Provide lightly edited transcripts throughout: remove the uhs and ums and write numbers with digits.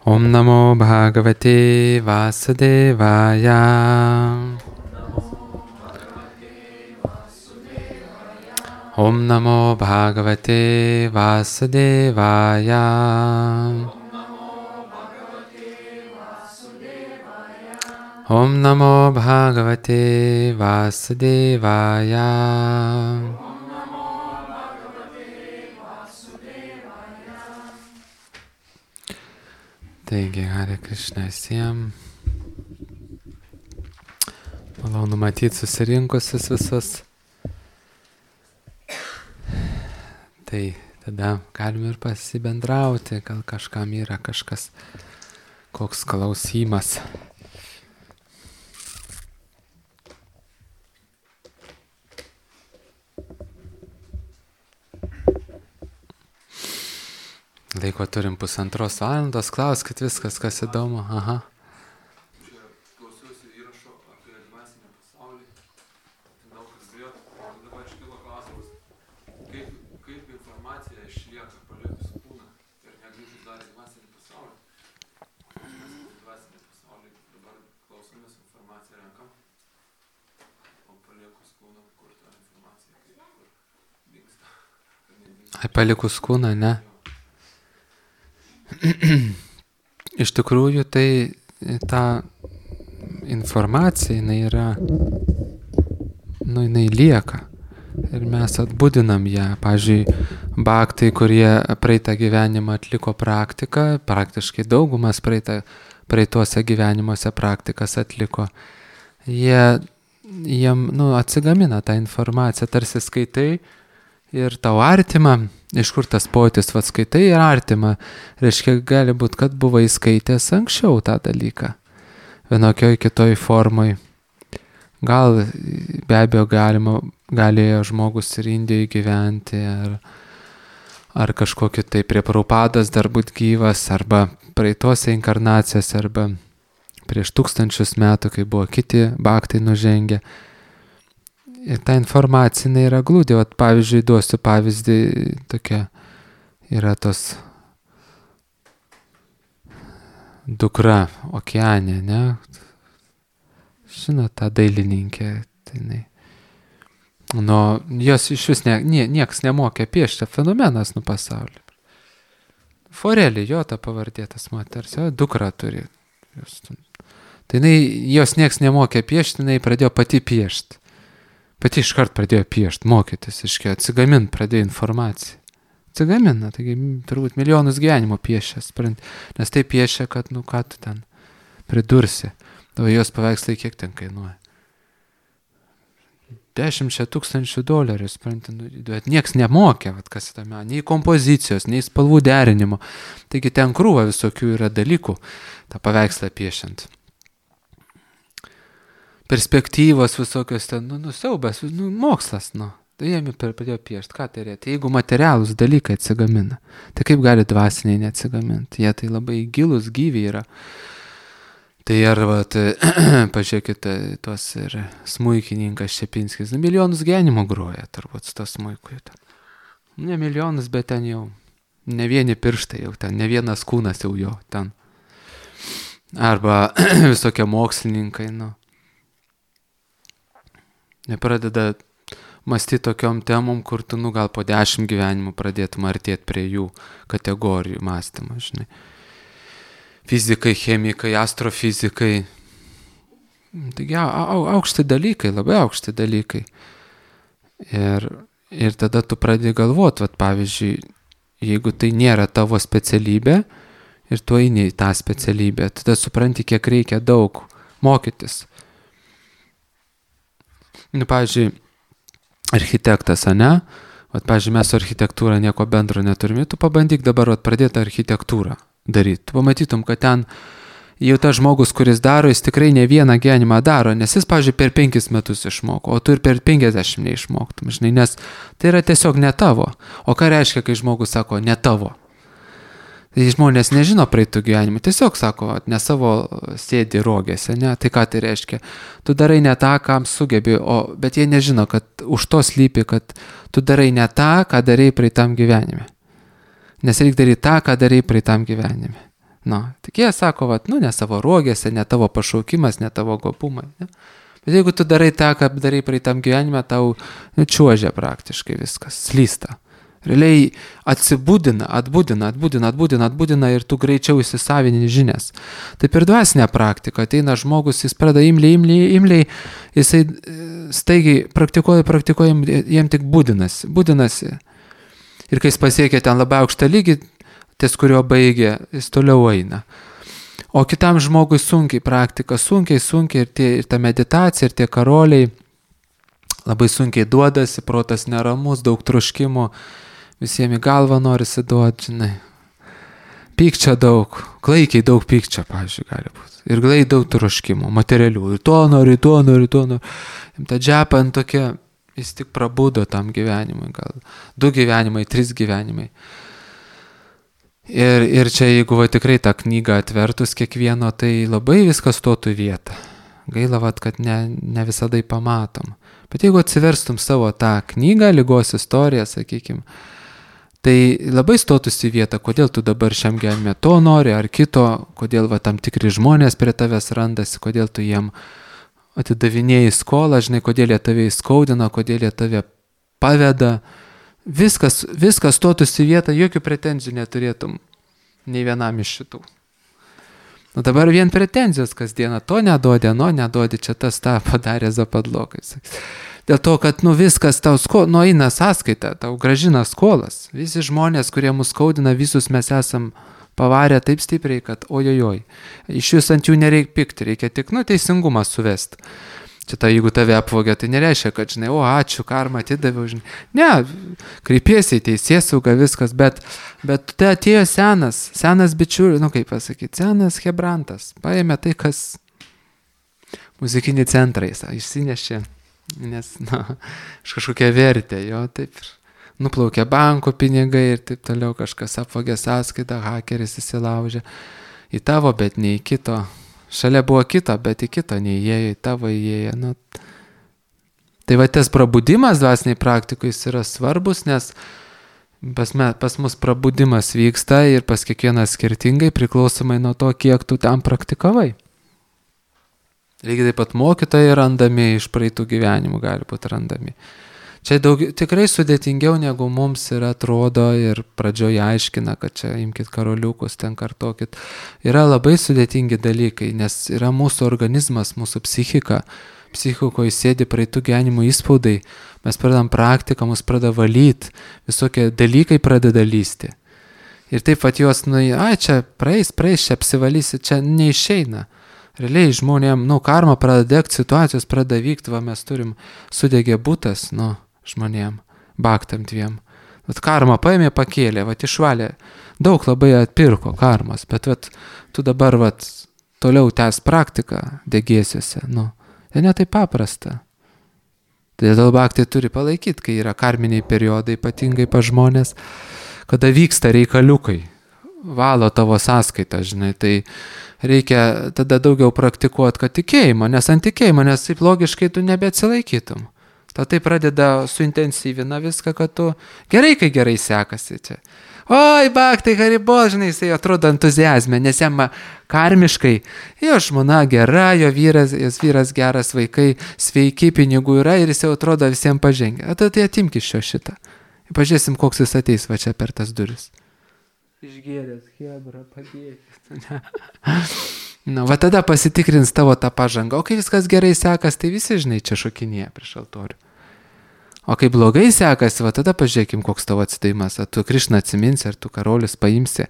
Om Namo Bhagavate Vasudevaya. Om Namo Bhagavate Vasudevaya. Om Namo Bhagavate Vasudevaya. Taigi, Hare Krishna visiems. Malonu matyti susirinkusius visus. Tai tada galime ir pasibendrauti, gal kažkam yra kažkas, koks klausimas. Laiko turim 1,5 valandos, klauskit viskas, kas įdomu. Aha. Klausiausi įrašo apie dvasinį pasaulį. Daug kalbėjot. Dabar iškilo klausimas, kaip informacija išlieka palikus kūną ir negrįžus dar į dvasinį pasaulį. Mes į dvasinį pasaulį dabar klausomės, informaciją renkam, o palikus kūną, kur ta informacija, kur dingsta. Palikus kūną, ne? Iš tikrųjų, tai ta informacija, jinai yra, jinai lieka ir mes atbudinam ją. Pavyzdžiui, bhaktai, kurie praeitą gyvenimą atliko praktiką, praktiškai daugumas praeituose gyvenimuose praktikas atliko, jiem atsigamina tą informaciją, tarsi skaitai ir tau artima. Iš kur tas pojūtis, skaitai ir artima, reiškia, gali būti, kad buvai skaitęs anksčiau tą dalyką, vienokioj kitoj formoj. Gal be abejo galėjo žmogus ir Indijoje gyventi, ar kažkokį tai prie Prabhupados dar būt gyvas, arba praeitose inkarnacijose, arba prieš 1000 metų, kai buvo kiti bhaktai nužengę. Ir ta informacija yra glūdė. Pavyzdžiui, duosiu pavyzdį, tokia yra tos dukra Okeanė, ne? Žinot, ta dailininkė. Jos iš vis nieks nemokė piešti, fenomenas pasaulį. Forelį, jo ta pavardėtas moters, dukra turi. Tai jos nieks nemokė piešti, jinai pradėjo pati piešti. Pati iškart pradėjo piešti, mokytis, atsigamint pradėjo informaciją. Atsigamina, taigi turbūt milijonus gyvenimo piešia, nes tai piešia, kad, ką tu ten pridursi. O jos paveikslai kiek ten kainuoja? $10,000, bet nieks nemokė, kas tame, nei kompozicijos, nei spalvų derinimo. Taigi ten krūva visokių yra dalykų, tą paveikslą piešiant. Perspektyvos visokios ten, siaubas, mokslas, Tai jie pradėjo piešti, ką tai reikia. Jeigu materialūs dalykai atsigamina, tai kaip gali dvasiniai neatsigaminti? Jie tai labai gilus, gyvi yra. Tai arba, pažiūrėkite, tuos ir smuikininkas Šepinskis, milijonus gyvenimo groja, turbūt, su to smuiku. Ne milijonus, bet ten jau, ne vieni pirštai jau ten, ne vienas kūnas jau jo ten. Arba visokie mokslininkai, nepradeda mąstyti tokiom temom, kur tu, gal po 10 gyvenimų pradėtum artėti prie jų kategorijų mąstymą, žinai. Fizikai, chemikai, astrofizikai. Taigi aukšti dalykai, labai aukšti dalykai. Ir tada tu pradedi galvoti, pavyzdžiui, jeigu tai nėra tavo specialybė ir tu eini į tą specialybę, tada supranti, kiek reikia daug mokytis. Pavyzdžiui, architektas, ane? Pavyzdžiui, mes su architektūra nieko bendro neturime. Tu pabandyk dabar pradėti architektūrą daryti. Tu pamatytum, kad ten jau tas žmogus, kuris daro, jis tikrai ne vieną gyvenimą daro, nes jis, pavyzdžiui, per 5 metus išmoko, o tu ir per 50 neišmoktum, žinai, nes tai yra tiesiog ne tavo. O ką reiškia, kai žmogus sako ne tavo? Tai žmonės nežino praeitų gyvenimų, tiesiog sako, ne savo sėdi rogėse, ne, tai ką tai reiškia? Tu darai ne tą, kam sugebi, bet jie nežino, kad už to slypi, kad tu darai ne tą, ką darai praeitam gyvenime. Nes reikia daryti tą, ką darai praeitam gyvenime. Tik jie sako, ne savo rogėse, ne tavo pašaukimas, ne tavo gopumai. Ne? Bet jeigu tu darai tą, ką darai praeitam gyvenime, tau čiuožia praktiškai viskas, slysta. Realiai atbudina ir tu greičiau įsisavini žinias. Taip ir dvasinė praktika. Ateina žmogus, jis pradeda imliai, jisai staigiai praktikuoja, jiem tik būdinasi. Ir kai jis pasiekia ten labai aukštą lygį, ties kurio baigė, jis toliau eina. O kitam žmogui sunkiai praktika, sunkiai ir ta meditacija, ir tie karoliai labai sunkiai duodasi, protas neramus, daug troškimų, visiems į galvą norisi duoti, žinai. Pykčio daug, klaikiai daug pykčio, pavyzdžiui, gali būti. Ir glai daug troškimų, materialių. Ir to nori. Ta džepan tokia, jis tik prabudo tam gyvenimui, gal 2 gyvenimai, 3 gyvenimai. Ir čia, jeigu tikrai tą knygą atvertus kiekvieno, tai labai viskas stotų į vietą. Gaila, kad ne visada pamatom. Bet jeigu atsiverstum savo tą knygą, ligos istoriją, sakykime, tai labai stotųsi į vietą, kodėl tu dabar šiam gyvenime to nori ar kito, kodėl tam tikri žmonės prie tavęs randasi, kodėl tu jiem atidavinėjai skolą, žinai, kodėl jie tave įskaudina, kodėl jie tave paveda. Viskas stotųsi į vietą, jokių pretenzijų neturėtum nei vienam iš šitų. Dabar vien pretenzijos kasdieną, to neduodi, neduodi, čia tas tą padarė zapadlokai. Dėl to, kad viskas tau eina sąskaita, tau gražina skolas. Visi žmonės, kurie mus skaudina, visus mes esam pavarę taip stipriai, kad ojojoj. Iš vis ant jų nereikia pikti, reikia tik teisingumą suvesti. Čia jeigu tave apvogė, tai nereiškia, kad, žinai, ačiū, karmą atidaviau, žinai. Ne, kreipiesi į teisėsaugą, viskas, bet tai atėjo senas bičiulis, kaip pasakyti, senas hebrantas, paėmė tai, kas muzikinį centrą išsinešė, nes, kažkokia vertė, jo, taip, nuplaukė banko pinigai ir taip toliau, kažkas apvogė sąskaitą, hakeris įsilaužė į tavo, bet ne į kito. Šalia buvo kito, bet į kito neįėjo, į tavo įėjo. Tai tas prabudimas dvasiniai praktikui yra svarbus, nes pas mus prabudimas vyksta ir pas kiekvieną skirtingai priklausomai nuo to, kiek tu tam praktikavai. Lygiai taip pat mokytojai randami iš praeitų gyvenimų gali būti randami. Čia tikrai sudėtingiau negu mums ir atrodo ir pradžioje aiškina, kad čia imkit karoliukus, ten kartokit. Yra labai sudėtingi dalykai, nes yra mūsų organizmas, mūsų psichika. Psichikoje sėdi praeitų gyvenimų įspaudai, mes pradedam praktiką, mus pradeda valyti, visokie dalykai pradeda lysti. Ir taip juos, čia praeis, čia apsivalysi, čia neišeina. Realiai žmonėm, karma pradeda degti, situacijos pradeda vykti, mes turim sudegė butas, žmonėm, baktam 2. Karma paėmė, pakėlė, išvalė, daug labai atpirko karmas, bet tu dabar toliau tęs praktiką degėsiuose, tai ne taip paprasta. Todėl baktai turi palaikyti, kai yra karminiai periodai, ypatingai pa žmonės, kada vyksta reikaliukai, valo tavo sąskaitą, žinai, tai reikia tada daugiau praktikuoti, kad tikėjimo, nes ant tikėjimo, nes taip logiškai tu nebeatsilaikytum. Tai pradeda suintensyvina viską, kad tu gerai, kai gerai sekasi čia. Oi, baktai, haribol, žinai, jisai atrodo entuziazme, nes jam karmiškai, jo žmona gera, jos vyras geras, vaikai sveiki, pinigų yra ir jis jau atrodo visiems pažengę. Tai atimk iš šitą. Pažiūrėsim, koks jis ateis čia per tas duris. Išgėręs, hebra, padėkis. Tada pasitikrins tavo tą pažangą. O kai viskas gerai sekas, tai visi, žinai, čia šokinėja prieš altorių. O kai blogai sekasi, tada pažiūrėkim, koks tavo atsidavimas. Ar tu Krišną atsiminsi, ar tu karolius paimsi,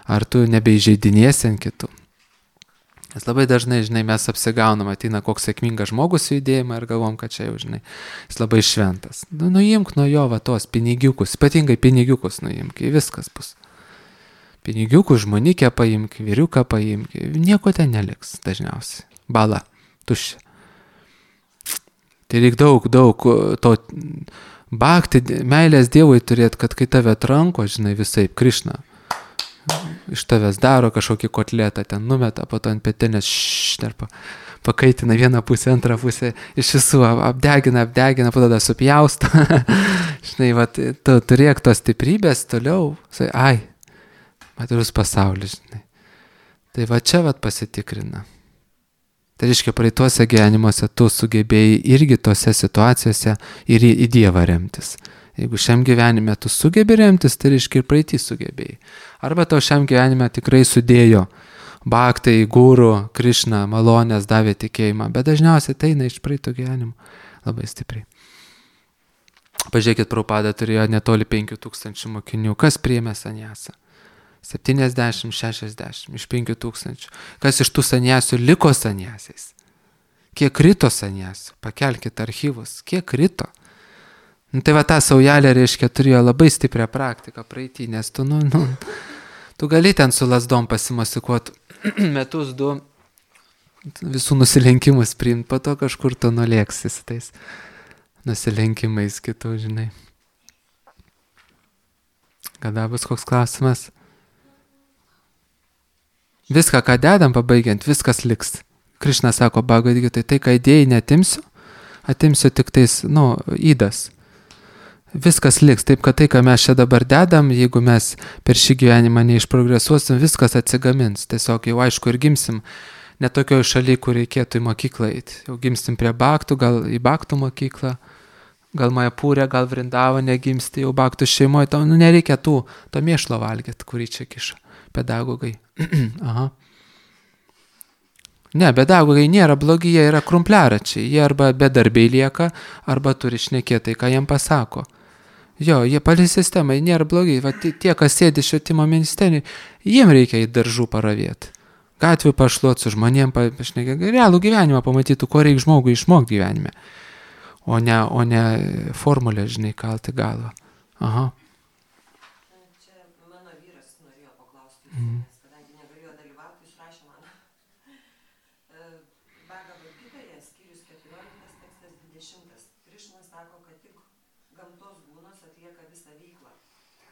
ar tu nebeižeidinėsi ant kitų. Nes labai dažnai, žinai, mes apsigaunam, ateina koks sėkmingas žmogus į judėjimą ir galvom, kad čia jau, žinai, jis labai šventas. Nuimk nuo jo tos pinigiukus, ypatingai pinigiukus nuimk, viskas bus. Pinigiukų, žmonikę paimk, vyriuką paimk, nieko ten neliks dažniausiai. Bala, tuščia. Tai reikia daug to bakti, meilės Dievui turėti, kad kai tave atranko, žinai, visaip, Krišna, iš tavęs daro kažkokį kotletą, ten numeta, po to ant petenės pakaitina vieną pusę, antrą pusę, iš visų apdegina, po tada supjausto. Žinai, tu turėk tos stiprybės toliau, materialus pasaulis, žinai. Tai va čia pasitikrina. Tai reiškia, praeituose gyvenimuose tu sugebėjai irgi tose situacijose ir į Dievą remtis. Jeigu šiam gyvenime tu sugebi remtis, tai reiškia ir praeitį sugebėjai. Arba tau šiam gyvenime tikrai sudėjo bhaktai, guru, Krišna, malonės, davė tikėjimą, bet dažniausiai tai eina iš praeito gyvenimo labai stipriai. Pažiūrėkit, Prabhupada turėjo netoli 5000 mokinių. Kas priėmė saniasą? 70, 60 iš 5000. Kas iš tų saniasių liko saniasiais? Kiek krito saniasių? Pakelkite archyvus. Kiek krito? Tai va ta saujelė, reiškia, turėjo labai stiprią praktiką praeitį, nes tu gali ten su lasdom pasimasikuoti metus, 2 visų nusilenkimus priimti, po to kažkur tu nulėksi su tais nusilenkimais kitų, žinai. Kada bus koks klausimas? Viską, ką dedam pabaigiant, viskas liks. Krišna sako, Bhagavad Gita, tai ką idėjai netimsiu, atimsiu tik tais, įdas. Viskas liks, taip kad tai, ką mes čia dabar dedam, jeigu mes per šį gyvenimą neišprogresuosim, viskas atsigamins. Tiesiog jau aišku ir gimsim ne tokioj šaly, kur reikėtų į mokyklą eiti. Jau gimsim prie Bhaktų, gal į Bhaktų mokyklą, gal Majapūrė, gal Vrindavane gimsti, jau Bhaktų šeimoje, nereikia to mėšlo valgyti, kurį čia kiša pedagogai. Aha. Ne, pedagogai nėra blogi, jie yra krumpliaračiai, jie arba bedarbiai lieka, arba turi šnekėti, ką jiem pasako. Jo, jie palei sistemai nėra blogi, va tie, kas sėdi švietimo ministerijai, jiem reikia į daržų paravėti. Gatvių pašluot su žmonėm, pašnekėti, realų gyvenimą pamatytų, ko reikia žmogui išmokti gyvenime, o ne formulę, žinai, kalti galvą. Aha. Kadangi negalėjo dalyvauti, jis rašė man. Bhagavad Gitoje, skyrius 14, tekstas 20. Krišna sako, kad tik gamtos gūnos atlieka visą veiklą.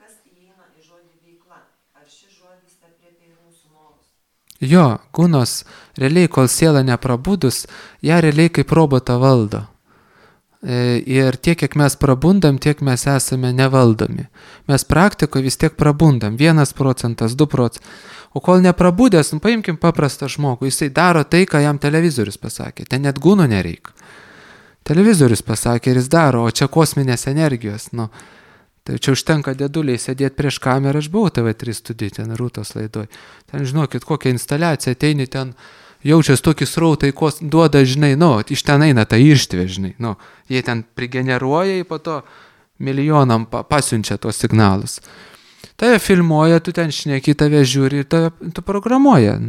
Kas įeina į žodį veikla? Ar šis žodis apriepia ir mūsų norus? Jo, gūnos, realiai, kol siela neprabudus, ją realiai kaip robotą valdo. Ir tiek, kiek mes prabundam, tiek mes esame nevaldomi. Mes praktikoje vis tiek prabundam, 1%, 2%. O kol neprabudęs, paimkim paprastą žmogų, jisai daro tai, ką jam televizorius pasakė. Ten net gūnų nereikia. Televizorius pasakė ir jis daro, o čia kosminės energijos. Tai čia užtenka dėduliai sėdėti prieš kamerą, aš buvau TV3 studijai, ten Rūtos laidoj. Ten žinokit, kokią instaliaciją, ateini ten, jaučias tokį srautą, duoda, žinai, iš ten eina ta irštvė, žinai, jie ten prigeneruoja, po to milijonam pasiunčia tos signalus. Tave filmuoja, tu ten šneki, tave žiūri ir tu programuoja,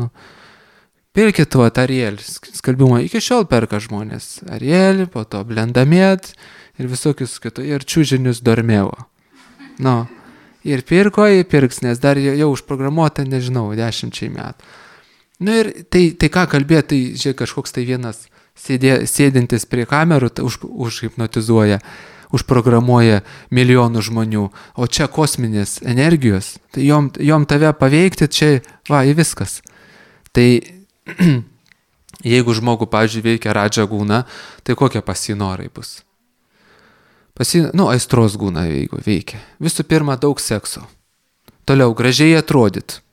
Pirkit Ariel, skalbimo, iki šiol perka žmonės. Ariel, po to Blendamėt ir visokius kitų, ir čiūžinius Dormėvo. Ir pirko, įpirks, nes dar jau užprogramuota, nežinau, 10 metų. Ir tai ką kalbėti, tai žiūrėk, kažkoks tai vienas sėdintis prie kamerų užhipnotizuoja, užprogramuoja milijonų žmonių, o čia kosminės energijos, tai jom tave paveikti, čia į viskas. Tai jeigu žmogų, pavyzdžiui, veikia Radža gūna, tai kokie pasinorai bus? Aistros gūna veikia. Visų pirma, daug sekso. Toliau, gražiai atrodyt.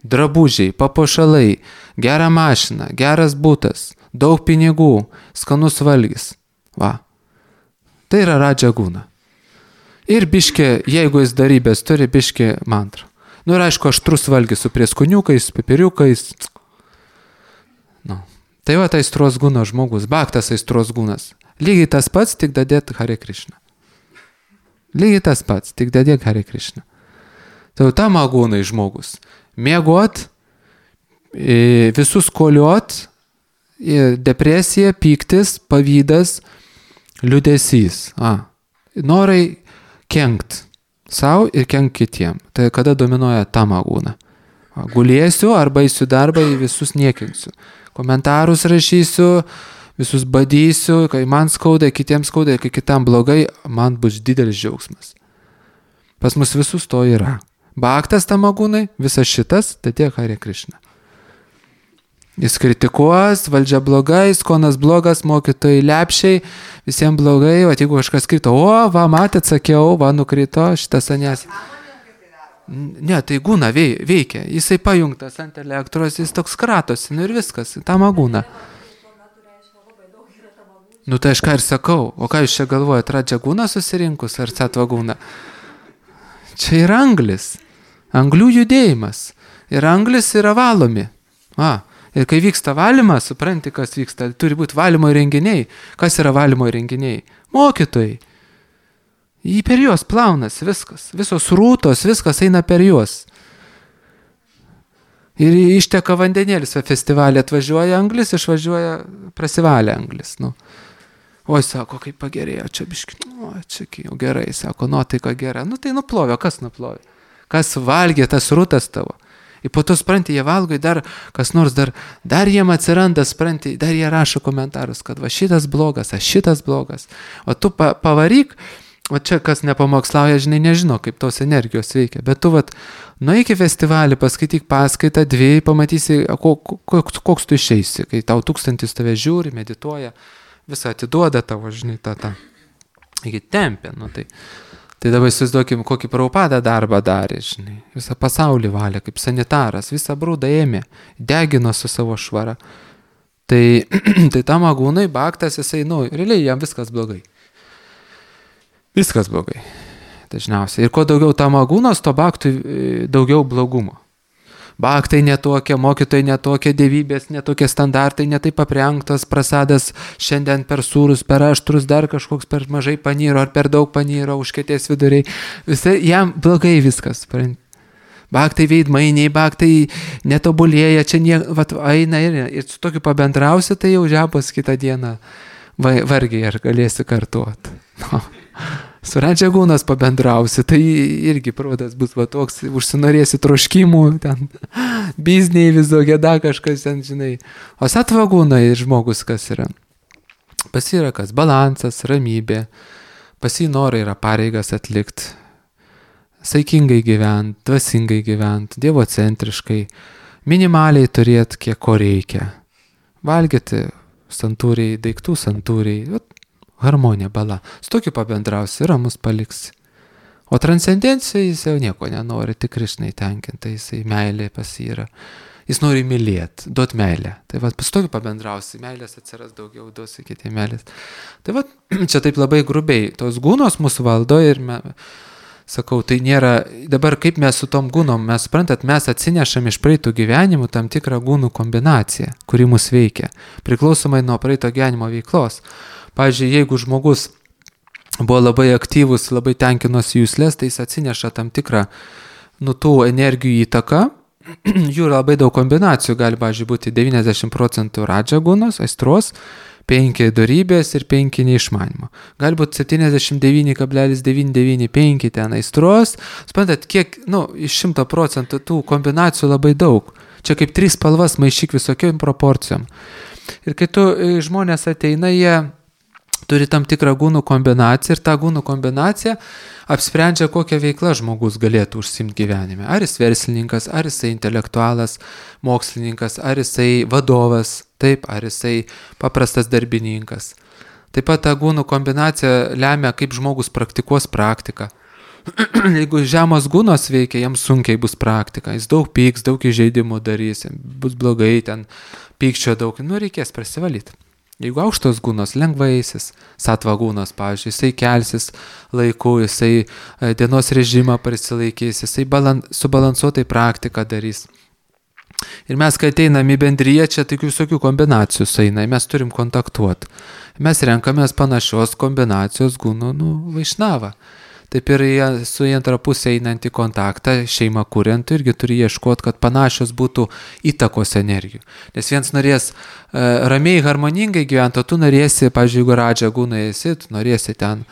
Drabužiai, papuošalai, gera mašina, geras butas, daug pinigų, skanus valgis. Tai yra Radža gūna. Ir biškė, jeigu jis darybės turi, biškė mantra. Ir aišku, aštrus valgis su prieskoniukais, pipiriukais. Tai aistros gūna žmogus, bhaktas aistros gūnas. Lygiai tas pats, tik dadėt Hare Krishna. Lygiai tas pats, tik dadėk Hare Krishna. Tai tam agūnai žmogus. Miegot, visus koliot, depresija, pyktis, pavydas, liūdesys. Norai kenkt savo ir kenkt kitiem. Tai kada dominuoja tam agūna. Gulėsiu arba eisiu darbą, visus niekinsiu. Komentarus rašysiu, visus badysiu, kai man skauda, kitiems skauda, kai kitam blogai, man bus didelis džiaugsmas. Pas mus visus to yra. Bhaktas tamagūnai, visas šitas, tai tiek Hare Krishna. Jis kritikuos, valdžia blogai, skonas blogas, mokytojai lepšiai, visiems blogai, jeigu kažkas krito, matėt, sakiau, nukrito, šitas sanės. Ne, tai gūna veikia. Jisai pajungtas ant elektros, jis toks kratosi, nu ir viskas, tamagūna. Nu tai aš ką ir sakau, o ką jūs čia galvojat, radžiagūną susirinkus ar satvagūną? Čia yra anglis, anglių judėjimas. Ir anglis yra valomi. Ir kai vyksta valymas, supranti, kas vyksta, turi būti valymo įrenginiai. Kas yra valymo įrenginiai? Mokytojai. Jį per juos plaunas viskas. Visos rūtos, viskas eina per juos. Ir išteka vandenėlis, festivalį atvažiuoja anglis, išvažiuoja prasivalę anglis. Nu. Oi, sako, kaip pagerėjo, čia biški, čia jau gerai, sako, nuotaika gera. Nu tai nuplovė, kas nuplovė? Kas valgė tas rūtas tavo? Ir po to, spranti, jie valgo, dar kas nors, dar jiem atsiranda, spranti, dar jie rašo komentarus, kad va šitas blogas, šitas blogas. O tu pavaryk, o čia kas nepamokslauja, žinai, nežino, kaip tos energijos veikia. Bet tu, nueik į festivalį, paskaityk paskaitą, 2, pamatysi, koks tu išeisi, kai tau 1000 tave žiūri, medituoja. Visą atiduoda tavo, žinai, tą. Iki tempė, nu tai. Tai dabar įsivaizduokim, kokį Prabhupada darbą darė, žinai. Visą pasaulį valė, kaip sanitaras, visą brūdą ėmė, degino su savo švara. Tai tamagūnai, baktas, jisai, realiai jam viskas blogai. Viskas blogai. Dažniausiai. Ir kuo daugiau tamagūnos, to baktui daugiau blogumo. Baktai netokie, mokytojai netokie, dievybės netokie standartai, netaip aprengtos, prasadas šiandien per sūrus, per aštrus, dar kažkoks per mažai panyro ar per daug panyro, užkėtės viduriai. Visai jam blogai viskas. Baktai veidmainiai, baktai netobulėja, čia eina ir su tokiu pabendrausi, tai jau žepos kitą dieną vargiai ar galėsi kartuoti. Su radžiagūnas pabendrausi, tai irgi protas bus toks, užsinorėsi troškimų, ten bizniai visokie, kažkas ten, žinai. O satvagūnai žmogus kas yra? Pas yra kas? Balansas, ramybė, pas jį norai yra pareigas atlikti, saikingai gyventi, dvasingai gyventi, dievocentriškai, minimaliai turėti, kiek ko reikia. Valgyti santūriai, daiktų santūriai, harmonija, bala. Su tokiu pabendrausi, ramus paliksi. O transcendencija jis jau nieko nenori, tik Krišnai tenkinta, jisai meilė pas jį yra. Jis nori mylėti, duot meilę. Tai su tokiu pabendrausi, meilės atsiras daugiau, duosi kitiem meilės. Tai čia taip labai grubiai, tos gūnos mūsų valdo ir sakau, tai nėra, dabar kaip mes su tom gūnom, mes suprantat, mes atsinešam iš praeitų gyvenimų tam tikrą gūnų kombinaciją, kuri mus veikia, priklausomai nuo praeito gyvenimo veiklos. Pavyzdžiui, jeigu žmogus buvo labai aktyvus, labai tenkinosi jūslės, tai jis atsineša tam tikrą, tų energijų įtaką. Jų labai daug kombinacijų, gali, pavyzdžiui, būti 90% radžagūnos, aistros, 5 dorybės ir 5 neišmanimo. Gali būti 79,995 ten aistros. Suprantat, kiek, iš 100% tų kombinacijų labai daug. Čia kaip 3 spalvas maišyk visokiom proporcijom. Ir kai žmonės ateina, jie turi tam tikrą gūnų kombinaciją ir ta gūnų kombinacija apsprendžia, kokią veiklą žmogus galėtų užsiimti gyvenime. Ar jis verslininkas, ar jisai intelektualas, mokslininkas, ar jisai vadovas, taip, ar jisai paprastas darbininkas. Taip pat ta gūnų kombinacija lemia, kaip žmogus praktikuos praktiką. Jeigu žemos gūnos veikia, jam sunkiai bus praktika. Jis daug pyks, daug įžeidimų darys, bus blogai, ten pykčio daug, reikės prasivalyti. Jeigu aukštos gūnos, lengvaisis, satvagūnos, pavyzdžiui, jisai kelsis laiku, jisai dienos režimą prisilaikys, jisai subalansuotai praktiką darys. Ir mes, kai ateinam į bendriją, čia tik visokių kombinacijų sueina, mes turim kontaktuoti. Mes renkamės panašios kombinacijos gūnų, vaišnavą. Taip ir su į antrą pusę einant į kontaktą, šeimą kuriant, irgi turi ieškoti, kad panašios būtų įtakos energijų. Nes vienas norės ramiai, harmoningai gyventi, o tu norėsi, pavyzdžiui, jeigu radžagūnai esi, tu norėsi ten,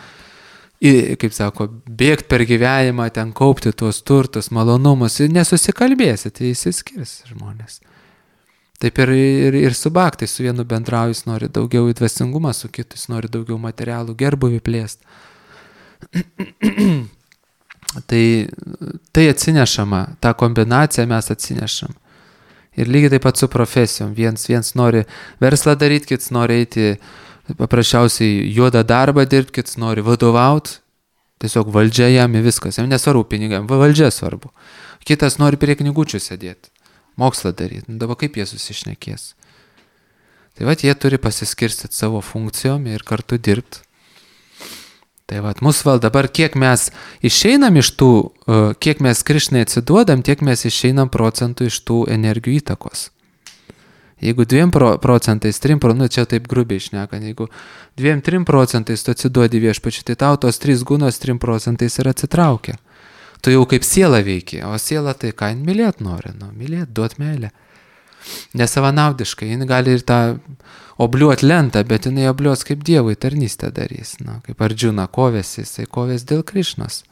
kaip sako, bėgti per gyvenimą, ten kaupti tuos turtus, malonumus, ir nesusikalbėsi, tai įsiskirs žmonės. Taip ir su baktai, su vienu bendrauju, jis nori daugiau į dvasingumą, su kitu jis nori daugiau materialų gerbuvį plėsti. Tai atsinešama, tą kombinaciją mes atsinešam. Ir lygiai taip pat su profesijom. Viens nori verslą daryti, kits nori eiti paprasčiausiai juodą darbą dirbti, kits nori vadovauti. Tiesiog valdžia jam į viskas, jam nesvarbu pinigam, valdžia svarbu. Kitas nori prie knygučių sėdėti, mokslą daryti, dabar kaip jie susišnekės. Tai vat jie turi pasiskirstyti savo funkcijom ir kartu dirbti. Tai vat mūsų val dabar, kiek mes išeinam iš tų, kiek mes Krišnai atsiduodam, tiek mes išeinam procentų iš tų energijų įtakos. Jeigu 2%, 3%, nu čia taip grubiai šnekant, jeigu 2-3% tu atsiduodi viešpačiui, tai tau tos 3 gunos 3% ir atsitraukia. Tu jau kaip siela veiki, o siela tai ką, jin mylėt nori, mylėt, duot meilę. Nesavanaudiškai, jin gali ir tą obliuot lentą, bet jinai obliuos kaip Dievui tarnystę darys. Kaip Ardžuna kovėsi, jisai kovės dėl Krišnos.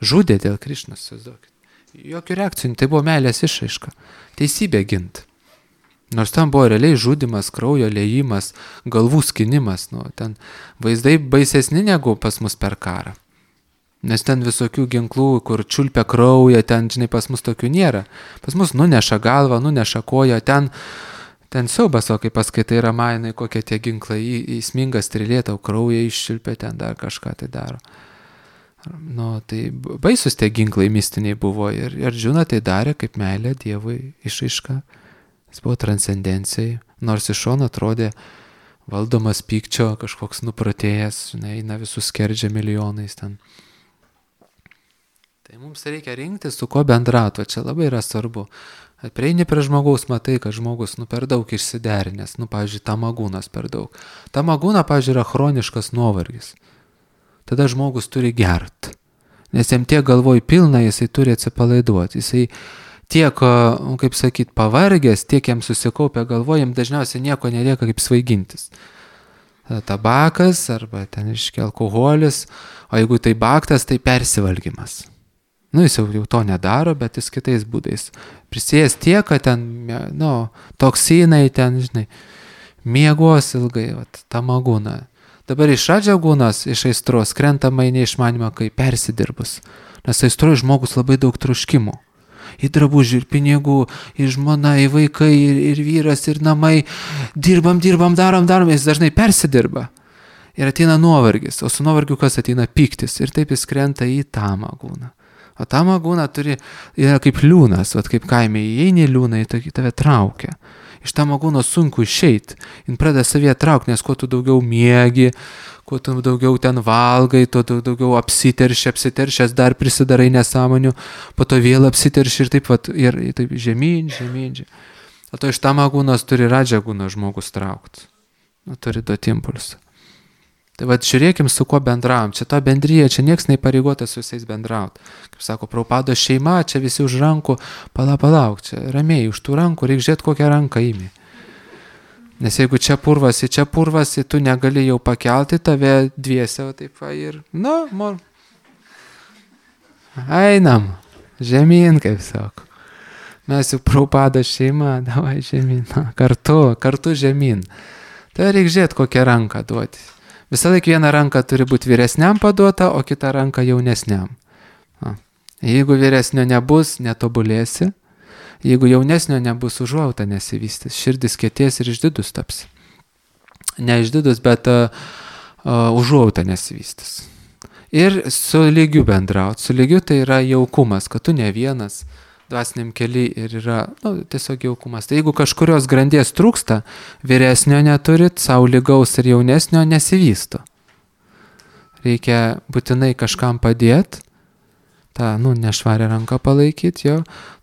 Žudė dėl Krišnos, įsivaizduokit. Jokių reakcijų, tai buvo meilės išraiška. Teisybė gint. Nors tam buvo realiai žudimas, kraujo liejimas, galvų skinimas. Ten vaizdai baisesni negu pas mus per karą. Nes ten visokių ginklų, kur čiulpia kraują, ten, žinai, pas mus tokių nėra. Pas mus nuneša galvą, nuneša koją, ten siaubas, o kai paskaitai Ramainai, kokie tie ginklai, įsminga strėlė, tau kraują iščiulpia, ten dar kažką tai daro. Tai baisus tie ginklai mistiniai buvo ir Ardžuna tai darė kaip meilė Dievui išraiška. Jis buvo transcendencijai, nors iš šono atrodė valdomas pykčio, kažkoks nupratėjęs, žinai, eina visus skerdžia milijonais ten. Tai mums reikia rinktis, su kuo bendrauti, čia labai yra svarbu. Prieini prie žmogaus, matai, kad žmogus per daug išsiderinęs, pavyzdžiui, tamagūnas per daug. Tamagūna, pavyzdžiui, yra chroniškas nuovargis. Tada žmogus turi gert, nes jam tiek galvoj pilna, jisai turi atsipalaiduoti, jisai tiek, kaip sakyt, pavargęs, tiek jam susikaupia galvoj, jam dažniausiai nieko nelieka kaip svaigintis. Tabakas arba ten iškia alkoholis, o jeigu tai baktas, tai persivalgymas. Jis jau to nedaro, bet jis kitais būdais. Prisėjęs tiek, kad ten, toksinai ten, žinai, miegos ilgai, tamagūna. Dabar iš Radžagūnas, iš aistros, krentama į neišmanimą, kai persidirbus. Nes aistroje žmogus labai daug troškimų. Į drabužių, ir pinigų, ir žmona, ir vaikai, ir vyras, ir namai. Dirbam, darom, jis dažnai persidirba. Ir ateina nuovargis, o su nuovargiu kas ateina pyktis. Ir taip jis krenta į tamagūną. O tamagūna yra kaip liūnas, kaip kaime įeini liūną, į tave traukia. Iš tamagūno sunku išeiti. Jis pradeda savyje traukti, nes kuo tu daugiau miegi, kuo tu daugiau ten valgai, tuo daugiau apsiteršęs dar prisidarai nesąmonių, po to vėl apsiterši ir taip žemyn. O to iš tamagūnos turi Radžagūno žmogus traukti. Turi duoti impulsą. Tai žiūrėkim, su kuo bendravom. Čia ta bendryje, čia nieks neįpareigotas su visais bendrauti. Kaip sako, Prabhupada šeima, čia visi už rankų, palauk, čia ramiai, už tų rankų, reikia žiūrėti, kokią ranką įmi. Nes jeigu čia purvasi, tu negali jau pakelti, tave dviese, taip ir, einam, žemyn, kaip sako. Mes jau Prabhupada šeima, davai žemyn, kartu žemyn. Tai reikia žiūrėti, kokią ranką duoti. Visą laiką vieną ranką turi būti vyresniam paduota, o kitą ranką jaunesniam. Jeigu vyresnio nebus, netobulėsi. Jeigu jaunesnio nebus, užuojauta nesivystys. Širdis kietės ir išdidus taps. Ne išdidus, bet užuojauta nesivystys. Ir su lygiu bendrauti. Su lygiu tai yra jaukumas, kad tu ne vienas dvasiniam kely ir yra tiesiog jaukumas. Tai jeigu kažkurios grandies trūksta, vyresnio neturit, savo lygaus ir jaunesnio nesivysto. Reikia būtinai kažkam padėti, tą nešvarę ranką palaikyti,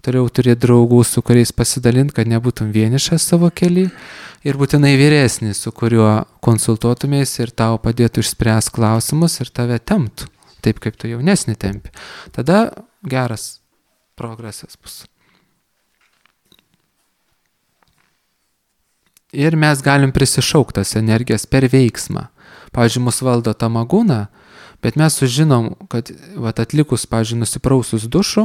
toliau turėti draugų, su kuriais pasidalinti, kad nebūtum vienišas savo kely, ir būtinai vyresnis, su kuriuo konsultuotumės ir tau padėtų išspręsti klausimus ir tave temptų, taip kaip tu jaunesnį tempi. Tada geras progresas bus. Ir mes galim prisišauktas energijas per veiksmą. Pavyzdžiui, mus valdo tamagūna, bet mes sužinom, kad atlikus, pavyzdžiui, nusiprausus dušu,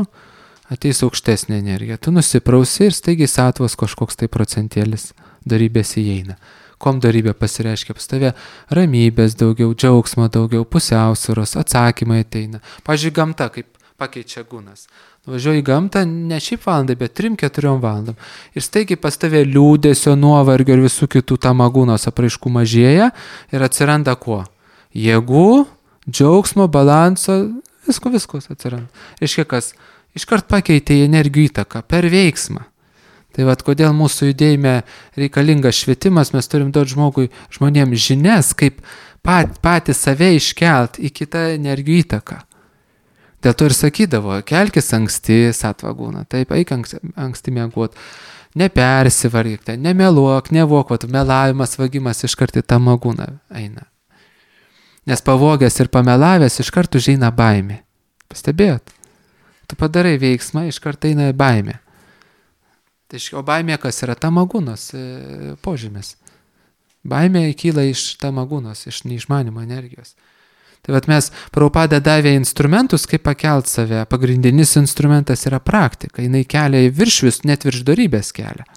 ateis aukštesnė energija. Tu nusiprausi ir staigiai satvas kažkoks tai procentėlis darybės įeina. Kom darybė pasireiškia pas tave? Ramybės daugiau, džiaugsmo daugiau, pusiausvyros, atsakymai ateina. Pavyzdžiui, gamta kaip pakeičia gūnas. Važiuoji į gamtą ne šiaip valandą, bet 3-4 valandom. Ir staigiai pas tave liūdesio, nuovargio ir visų kitų tamagūnos apraiškų mažėja ir atsiranda kuo? Jėgų, džiaugsmo, balanso, visko atsiranda. Reiškia, kas iškart pakeitė energijų įtaką per veiksmą. Tai vat, kodėl mūsų judėjime reikalingas švietimas, mes turim duoti žmonėms žinias, kaip patį save iškelt į kitą energijų įtaką. Dėl to ir sakydavo, kelkis anksti, satva guna, taip, eik anksti miegot, nepersivargyk, nemeluok, nevok, melavimas, vagimas iškart į tą magūną eina. Nes pavogęs ir pamelavęs iškart užeina baimė. Pastebėjot? Tu padarai veiksmą, iškart eina baimė. O baimė kas yra? Tamagūnos požymis. Baimė kyla iš tamagūnos, iš neišmanimo energijos. Tai vat mes Prabhupada davė instrumentus, kaip pakelt save. Pagrindinis instrumentas yra praktika. Jinai kelia į viršvius, net virš darybės kelia.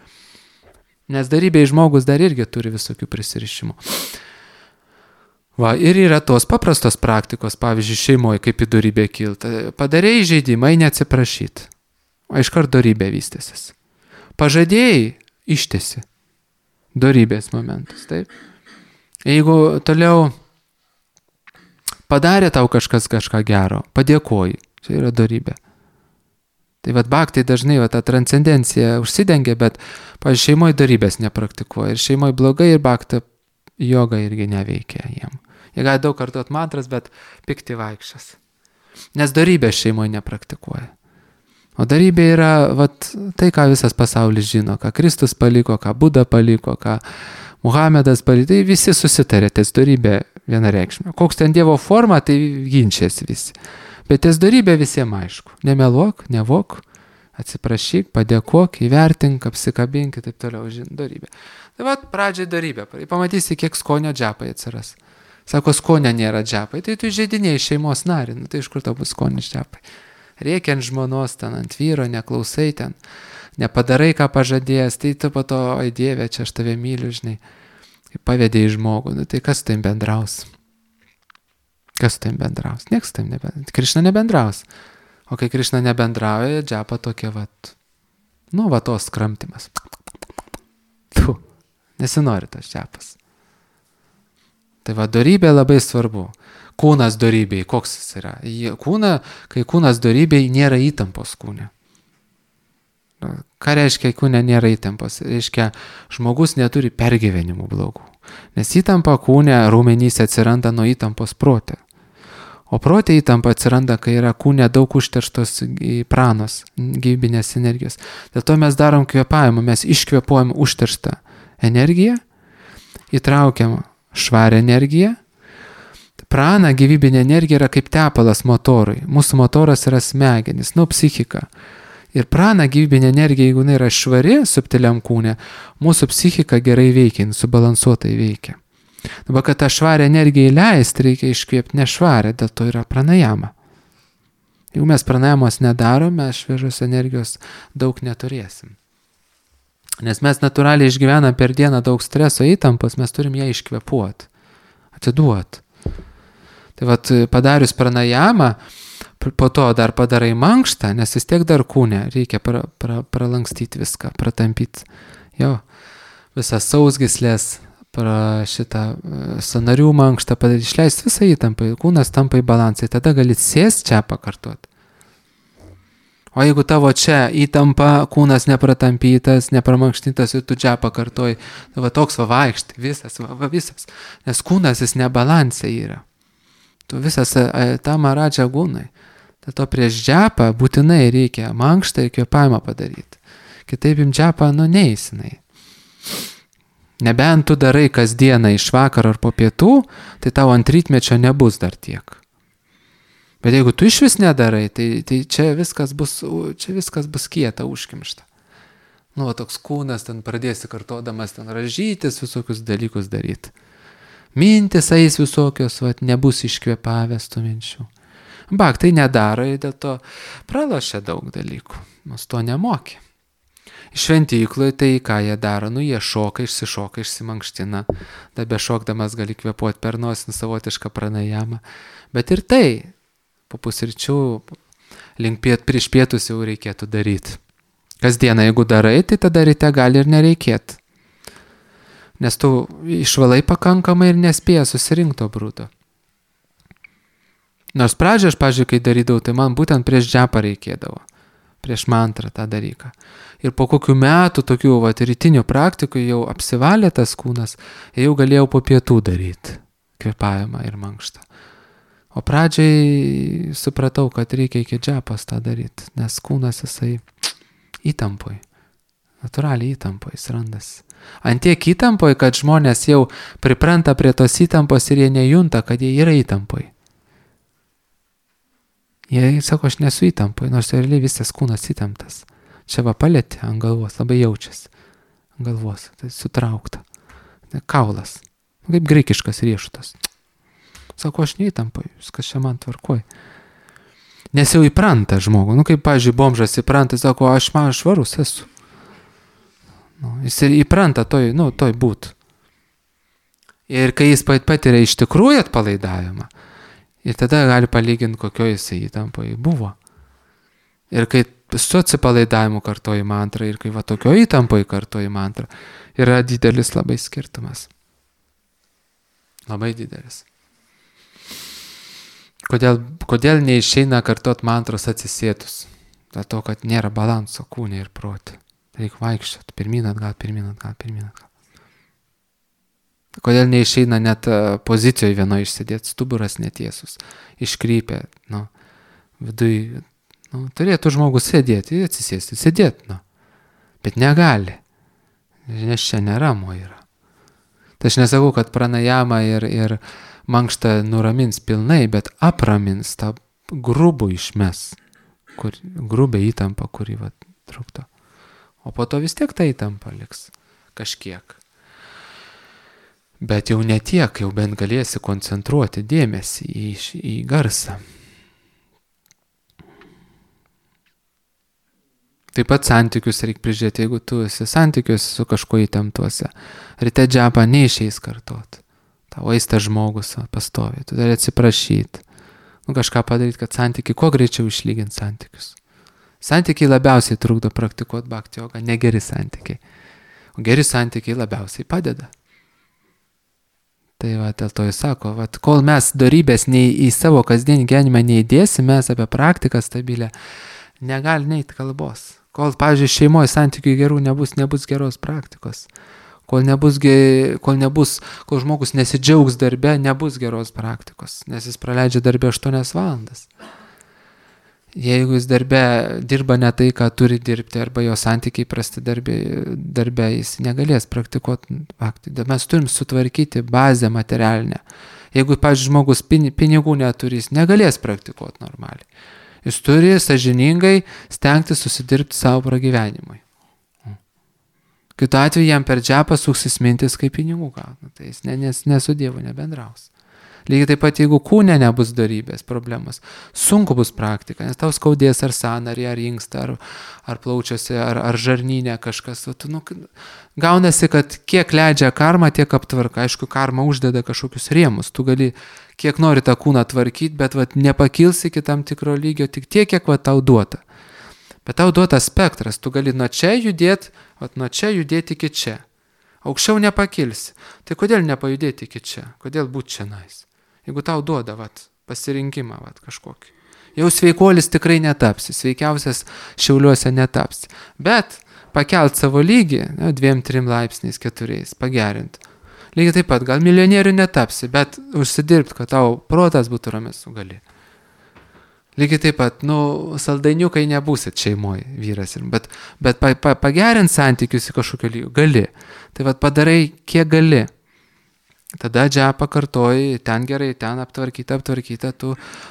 Nes darybėje žmogus dar irgi turi visokių prisirišimų. Va, ir yra tos paprastos praktikos, pavyzdžiui, šeimoje, kaip į darybę kilta. Padarėjai žaidimą, neatsiprašyti. O iškart darybė vystėsis. Pažadėjai, ištesi. Darybės momentas, taip. Jeigu toliau padarė tau kažką gero, padėkoji, čia yra darybė. Tai vat bhaktai dažnai ta transcendencija užsidengia, bet, pavyzdžiui, šeimoje darybės nepraktikuoja. Ir šeimoje blogai, ir bhakta joga irgi neveikia jiem. Jie gali daug kartuot mantras, bet pikti vaikščias. Nes darybės šeimoje nepraktikuoja. O darybė yra tai, ką visas pasaulis žino, ką Kristus paliko, ką Buda paliko, ką Muhamedas paliko, tai visi susitarė, ties darybė vienareikšmė. Koks ten Dievo forma, tai ginčiasi visi. Bet ties darybė visiems aišku. Nemeluok, nevok, atsiprašyk, padėkok, įvertink, apsikabink ir taip toliau, darybė. Tai pradžiai darybė. Pamatysi, kiek skonio džapai atsiras. Sako, skonio nėra džapai, tai tu žaidinėjai šeimos narį, tai iš kur tau bus skonis džapai. Reikia ant žmonos, ten ant vyro, neklausai ten, nepadarai, ką pažadėjęs, tai tu po to, oi Dieve, čia aš tave myliu, žinai, pavedė į žmogų, tai kas su tavim bendraus? Kas su tavim bendraus? Niekas su tavim nebendraus. Krišna nebendraus. O kai Krišna nebendrauja, džapa tokia, tos kramtimas. Nesinori tas džapas. Tai darybė labai svarbu. Kūnas darybėj, koks jis yra? Kai kūnas darybėj, nėra įtampos kūne. Ką reiškia, kūne nėra įtampos? Reiškia, žmogus neturi pergyvenimų blogų. Nes įtampa kūne raumenyse atsiranda nuo įtampos prote. O prote įtampa atsiranda, kai yra kūne daug užterštos pranos, gyvybinės energijos. Dėl to mes darom kvėpavimą, mes iškvėpuojam užterštą energiją, įtraukiam švarę energiją. Prana, gyvybinė energija yra kaip tepalas motorui. Mūsų motoras yra smegenis, psichika. Ir prana, gyvybinė energija, jeigu jinai yra švari subtiliam kūne, mūsų psichika gerai veikia, subalansuotai veikia. Dabar, kad tą švarę energiją įleisti, reikia iškvėpti nešvarę, dėl to yra pranajama. Jeigu mes pranajamos nedarom, mes šviežios energijos daug neturėsim. Nes mes natūraliai išgyvenam per dieną daug streso įtampos, mes turim ją iškvėpuoti, atiduoti. Tai padarius pranajamą, po to dar padarai mankštą, nes vis tiek dar kūne reikia pralankstyti viską, pratampyti. Jo, visas sausgyslės, šitą sąnarių mankštą padaryti, išleisti visą įtampą, kūnas tampa į balansą, tada gali sėsti čia pakartoti. O jeigu tavo čia įtampa, kūnas nepratampytas, nepramankštintas ir tu čia pakartoji, toks vaikšti, visas, nes kūnas jis nebalansė yra. Tu visas tam aradžia gūnai. To prieš džapą būtinai reikia mankštą ir kvėpavimą padaryti. Kitaip im džapą, neįsinai. Nebent tu darai kasdieną iš vakaro ar po pietų, tai tavo ant rytmečio nebus dar tiek. Bet jeigu tu iš vis nedarai, tai čia viskas bus kieta, užkimšta. Toks kūnas ten pradėsi kartodamas ten ražytis, visokius dalykus daryti. Mintis eis visokios, nebus iškvėpavęs tų minčių. Bhaktai nedaro ir dėl to pralošia daug dalykų. Mus to nemokė. Šventykloje tai ką jie daro? Jie šoka, išsimankština. Dabe šokdamas gali kvėpuoti per nosį savotišką pranajamą. Bet ir tai, po pusryčių, prieš pietus jau reikėtų daryti. Kasdieną, jeigu darai, tai tada ryte gali ir nereikėti. Nes tu išvalai pakankamai ir nespėja susirinkto brūdo. Nors pradžioje aš, pavyzdžiui, kai darydavau, tai man būtent prieš džepą reikėdavo. Prieš mantrą tą dalyką. Ir po kokių metų tokių rytinių praktikų jau apsivalė tas kūnas, jau galėjau po pietų daryti kvėpavimą ir mankštą. O pradžiai supratau, kad reikia iki džepos tą daryti, nes kūnas jisai įtampoj, natūraliai įtampoj jis randasi. Antiek įtampoj, kad žmonės jau pripranta prie tos įtampos ir jie nejunta, kad jie yra įtampoj. Jie sako, aš nesu įtampoj, nors realiai visas kūnas įtamptas. Čia va palėtė ant galvos, labai jaučiasi. Ant galvos, tai sutraukta. Kaulas, kaip graikiškas riešutas. Sako, aš neįtampoj, viskas čia man tvarkoj. Nes jau įpranta žmogų. Kaip, pavyzdžiui, bomžas įpranta, sako, aš švarus esu. Jis įpranta toj būt. Ir kai jis patiria iš tikrųjų atpalaidavimą, ir tada gali palyginti, kokio jisai įtampoje buvo. Ir kai su atsipalaidavimu kartoji mantrą, ir kai va tokio įtampoje kartoji mantrą, yra didelis labai skirtumas. Labai didelis. Kodėl neišeina kartot mantros atsisėtus? Dėl to, kad nėra balanso kūne ir prote. Reikia vaikščioti, pirmyn atgal. Kodėl neišeina net pozicijoje vienoje išsėdėti, stuburas netiesus, iškrypę, viduj, turėtų žmogus sėdėti, atsisėsti, sėdėti, bet negali, nes čia neramo yra. Tai aš nesakau, kad pranajama ir mankštą nuramins pilnai, bet apramins tą grubų išmes, grubę įtampą, kurį trukdo. O po to vis tiek ta įtampa liks kažkiek. Bet jau ne tiek, jau bent galėsi koncentruoti dėmesį į garsą. Taip pat santykius reikia prižiūrėti, jeigu tu esi santykius su kažkuo įtemptuose. Ryte džepą neišeis kartot. Tau eis tas žmogus pastovi, tu turi atsiprašyti. Kažką padaryti, kad santykiai kuo greičiau išlyginti santykius. Santykiai labiausiai trukdo praktikuoti bhakti jogą, negeri santykiai. O geri santykiai labiausiai padeda. Tai dėl to jis sako, kol mes dorybės į savo kasdienį gyvenimą neįdėsim, mes apie praktiką stabilę, negali neiti kalbos. Kol, pavyzdžiui, šeimoje santykių gerų nebus geros praktikos. Kol žmogus nesidžiaugs darbe, nebus geros praktikos, nes jis praleidžia darbe 8 valandas. Jeigu jis darbe dirba ne tai, ką turi dirbti, arba jo santykiai prasti darbe, jis negalės praktikuoti bhakti. Mes turim sutvarkyti bazę materialinę. Jeigu, pavyzdžiui, žmogus pinigų neturi, jis negalės praktikuoti normaliai. Jis turi sąžiningai stengti susidirbti savo pragyvenimui. Kitu atveju jam per džepą suksis mintis, kaip pinigų gauna. Tai jis nesu Dievu nebendraus. Lygiai taip pat, jeigu kūne nebus dorybės, problemos, sunku bus praktika, nes tau skaudės ar sąnarį, ar inkstą, ar plaučiuose, ar žarnyne kažkas. Gaunasi, kad kiek leidžia karma, tiek aptvarka. Aišku, karma uždeda kažkokius rėmus. Tu gali kiek nori tą kūną tvarkyti, bet nepakilsi iki tam tikro lygio, tik tiek, kiek tau duota. Bet tau duota spektras. Tu gali nuo čia judėti iki čia. Aukščiau nepakilsi. Tai kodėl nepajudėti iki čia? Kodėl būti čia nais? Jeigu tau duoda pasirinkimą kažkokį. Jau sveikolis tikrai netapsi, sveikiausias Šiauliuose netapsi. Bet pakelt savo lygį 2-3 laipsniais, 4, pagerinti. Lygiai taip pat, gal milijonierių netapsi, bet užsidirbti, kad tau protas būtų ramus, gali. Lygiai taip pat, saldainiukai nebūsit šeimoje, vyras, bet pagerinti santykius į kažkokio lygio, gali. Tai padarai, kiek gali. Tada džepą kartoji, ten gerai, ten aptvarkyta,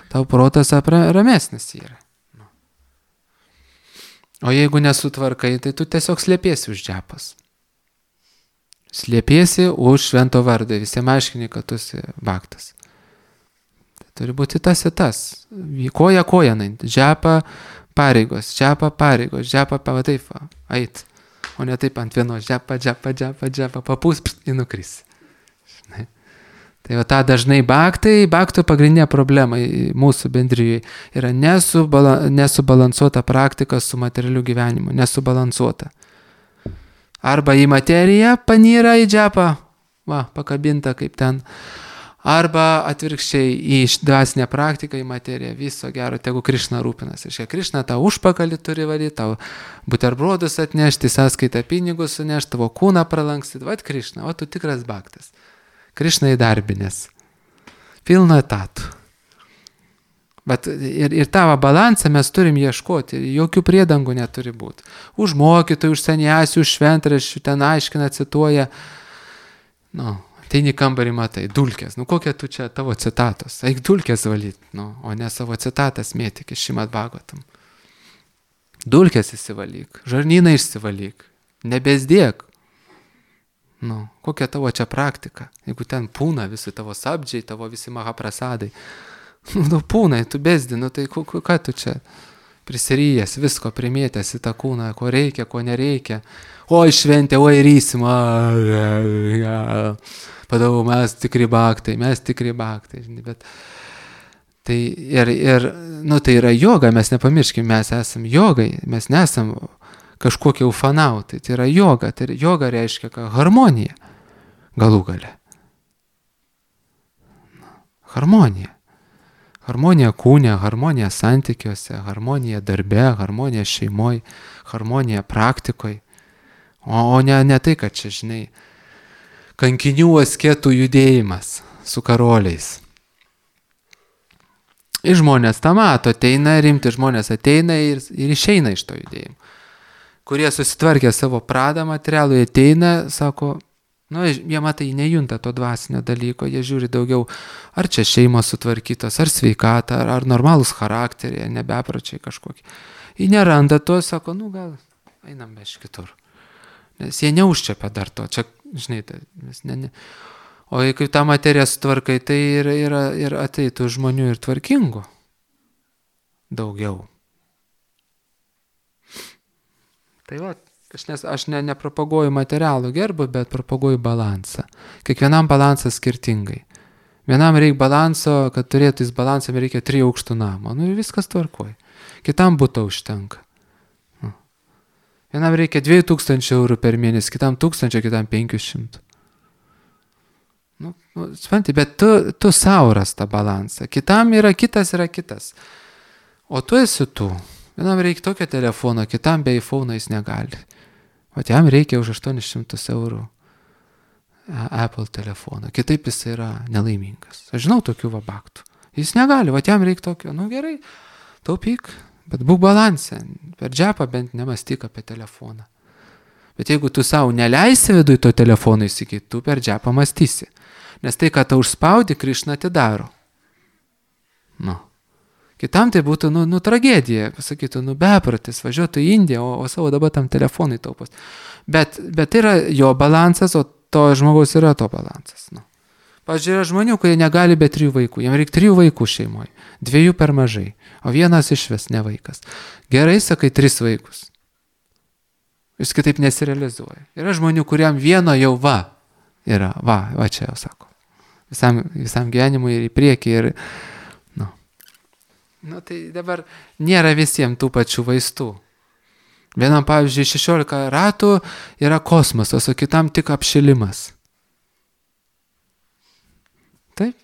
tau protas ramesnis yra. O jeigu nesutvarkai, tai tu tiesiog slėpiesi už džepas. Slėpiesi už švento vardą, visiems aiškini, kad tu esi bhaktas. Tai turi būti tas ir tas. Koja naint. Džepą pareigos, džepą taip, ait. O ne taip ant vienos džepą, papūs ir nukris. Tai tą dažnai bhaktų pagrindinė problema mūsų bendrijoje yra nesubalansuota praktika su materialiu gyvenimu, nesubalansuota. Arba į materiją panyra į džepą, pakabinta kaip ten, Arba atvirkščiai į dvasinę praktiką, į materiją, viso gero, tegu Krišna rūpinasi. Ir Krišna tau užpakalį turi valyti, tau buterbrodus atnešti, sąskaitą pinigus sunešti, tavo kūną pralankstyti. Vat Krišna, o tu tikras baktas. Krišna įdarbinės. Pilno etatų. Bet ir tavo balansą mes turim ieškoti, jokių priedangų neturi būti. Už mokytojų, už seniasių, už šventraščių, ten aiškina, cituoja. Ateini kambarį, matai, dulkės. Kokie tu čia tavo citatos? Eik dulkės valyti, o ne savo citatas mėtik iš Šrimad Bhagavatam. Dulkės įsivalyk, žarnyną išsivalyk, nebesdėk. Kokia tavo čia praktika? Jeigu ten pūna visi tavo sabdžiai, tavo visi mahaprasadai. Pūnai, tu besdi, tai ką tu čia prisiryjęs, visko primėtęs į tą kūną, ko reikia, ko nereikia. Oi šventė, oi rysim, padavau, mes tikri baktai. Bet tai tai yra joga, mes nepamirškime, mes esam jogai, mes nesam kažkokie ufanautai, tai yra joga, joga reiškia harmonija, galų gale. Harmonija. Harmonija kūne, harmonija santykiuose, harmonija darbe, harmonija šeimoje, harmonija praktikoje. O ne tai, kad čia, žinai, kankinių asketų judėjimas su karoliais. Ir žmonės tą mato, ateina, rimti žmonės ateina ir išeina iš to judėjimo. Kurie susitvarkė savo pradą materialų, ateina, sako, jie matai, nejunta to dvasinio dalyko, jie žiūri daugiau, ar čia šeimos sutvarkytos, ar sveikata, ar normalūs charakteriai, nebepračiai kažkokie. Jie neranda to, sako, gal einam iš kitur. Nes jie neužčiapia dar to, čia, žinai, o kai tą materiją sutvarkai, tai ir ateitų žmonių ir tvarkingų daugiau. Tai va, aš nepropaguoju materialų gerbų, bet propaguoju balansą. Kiekvienam balansas skirtingai. Vienam reikia balanso, kad turėtų jis balansą, reikia 3 aukštų namo. Ir viskas tvarkoja. Kitam būtų užtenka. Vienam reikia 2000 eurų per mėnesį, kitam 1000, kitam 500. Supranti, bet tu savo ras tą balansą. Kitam yra kitas. O tu esi tu. Vienam reikia tokio telefono, kitam be iPhone jis negali. O jam reikia už 800 eurų Apple telefoną. Kitaip jis yra nelaimingas. Aš žinau tokių vabaktų. Jis negali, o jam reikia tokio. Gerai, taupyk. Bet būk balansė, per džepą bent nemastyk apie telefoną. Bet jeigu tu savo neleisi viduj to telefono įsigyti, tu per džepą mąstysi. Nes tai, ką tau užspaudi, Krišna atidaro. Kitam tai būtų, tragedija, pasakytų, bepratis, važiuotų į Indiją, o savo dabar tam telefonai taupos. Bet tai yra jo balansas, o to žmogaus yra to balansas. Pavyzdžiui, yra žmonių, kurie negali be 3 vaikų. Jam reikia 3 vaikų šeimoje. 2 per mažai. O vienas išvis ne vaikas. Gerai, sakai, 3 vaikus. Jis kitaip nesirealizuoja. Yra žmonių, kuriam vieno jau yra. Va čia jau sako. Visam gyvenimui ir į priekį. Tai dabar nėra visiems tų pačių vaistų. Vienam, pavyzdžiui, 16 ratų yra kosmosas, o kitam tik apšilimas. Taip.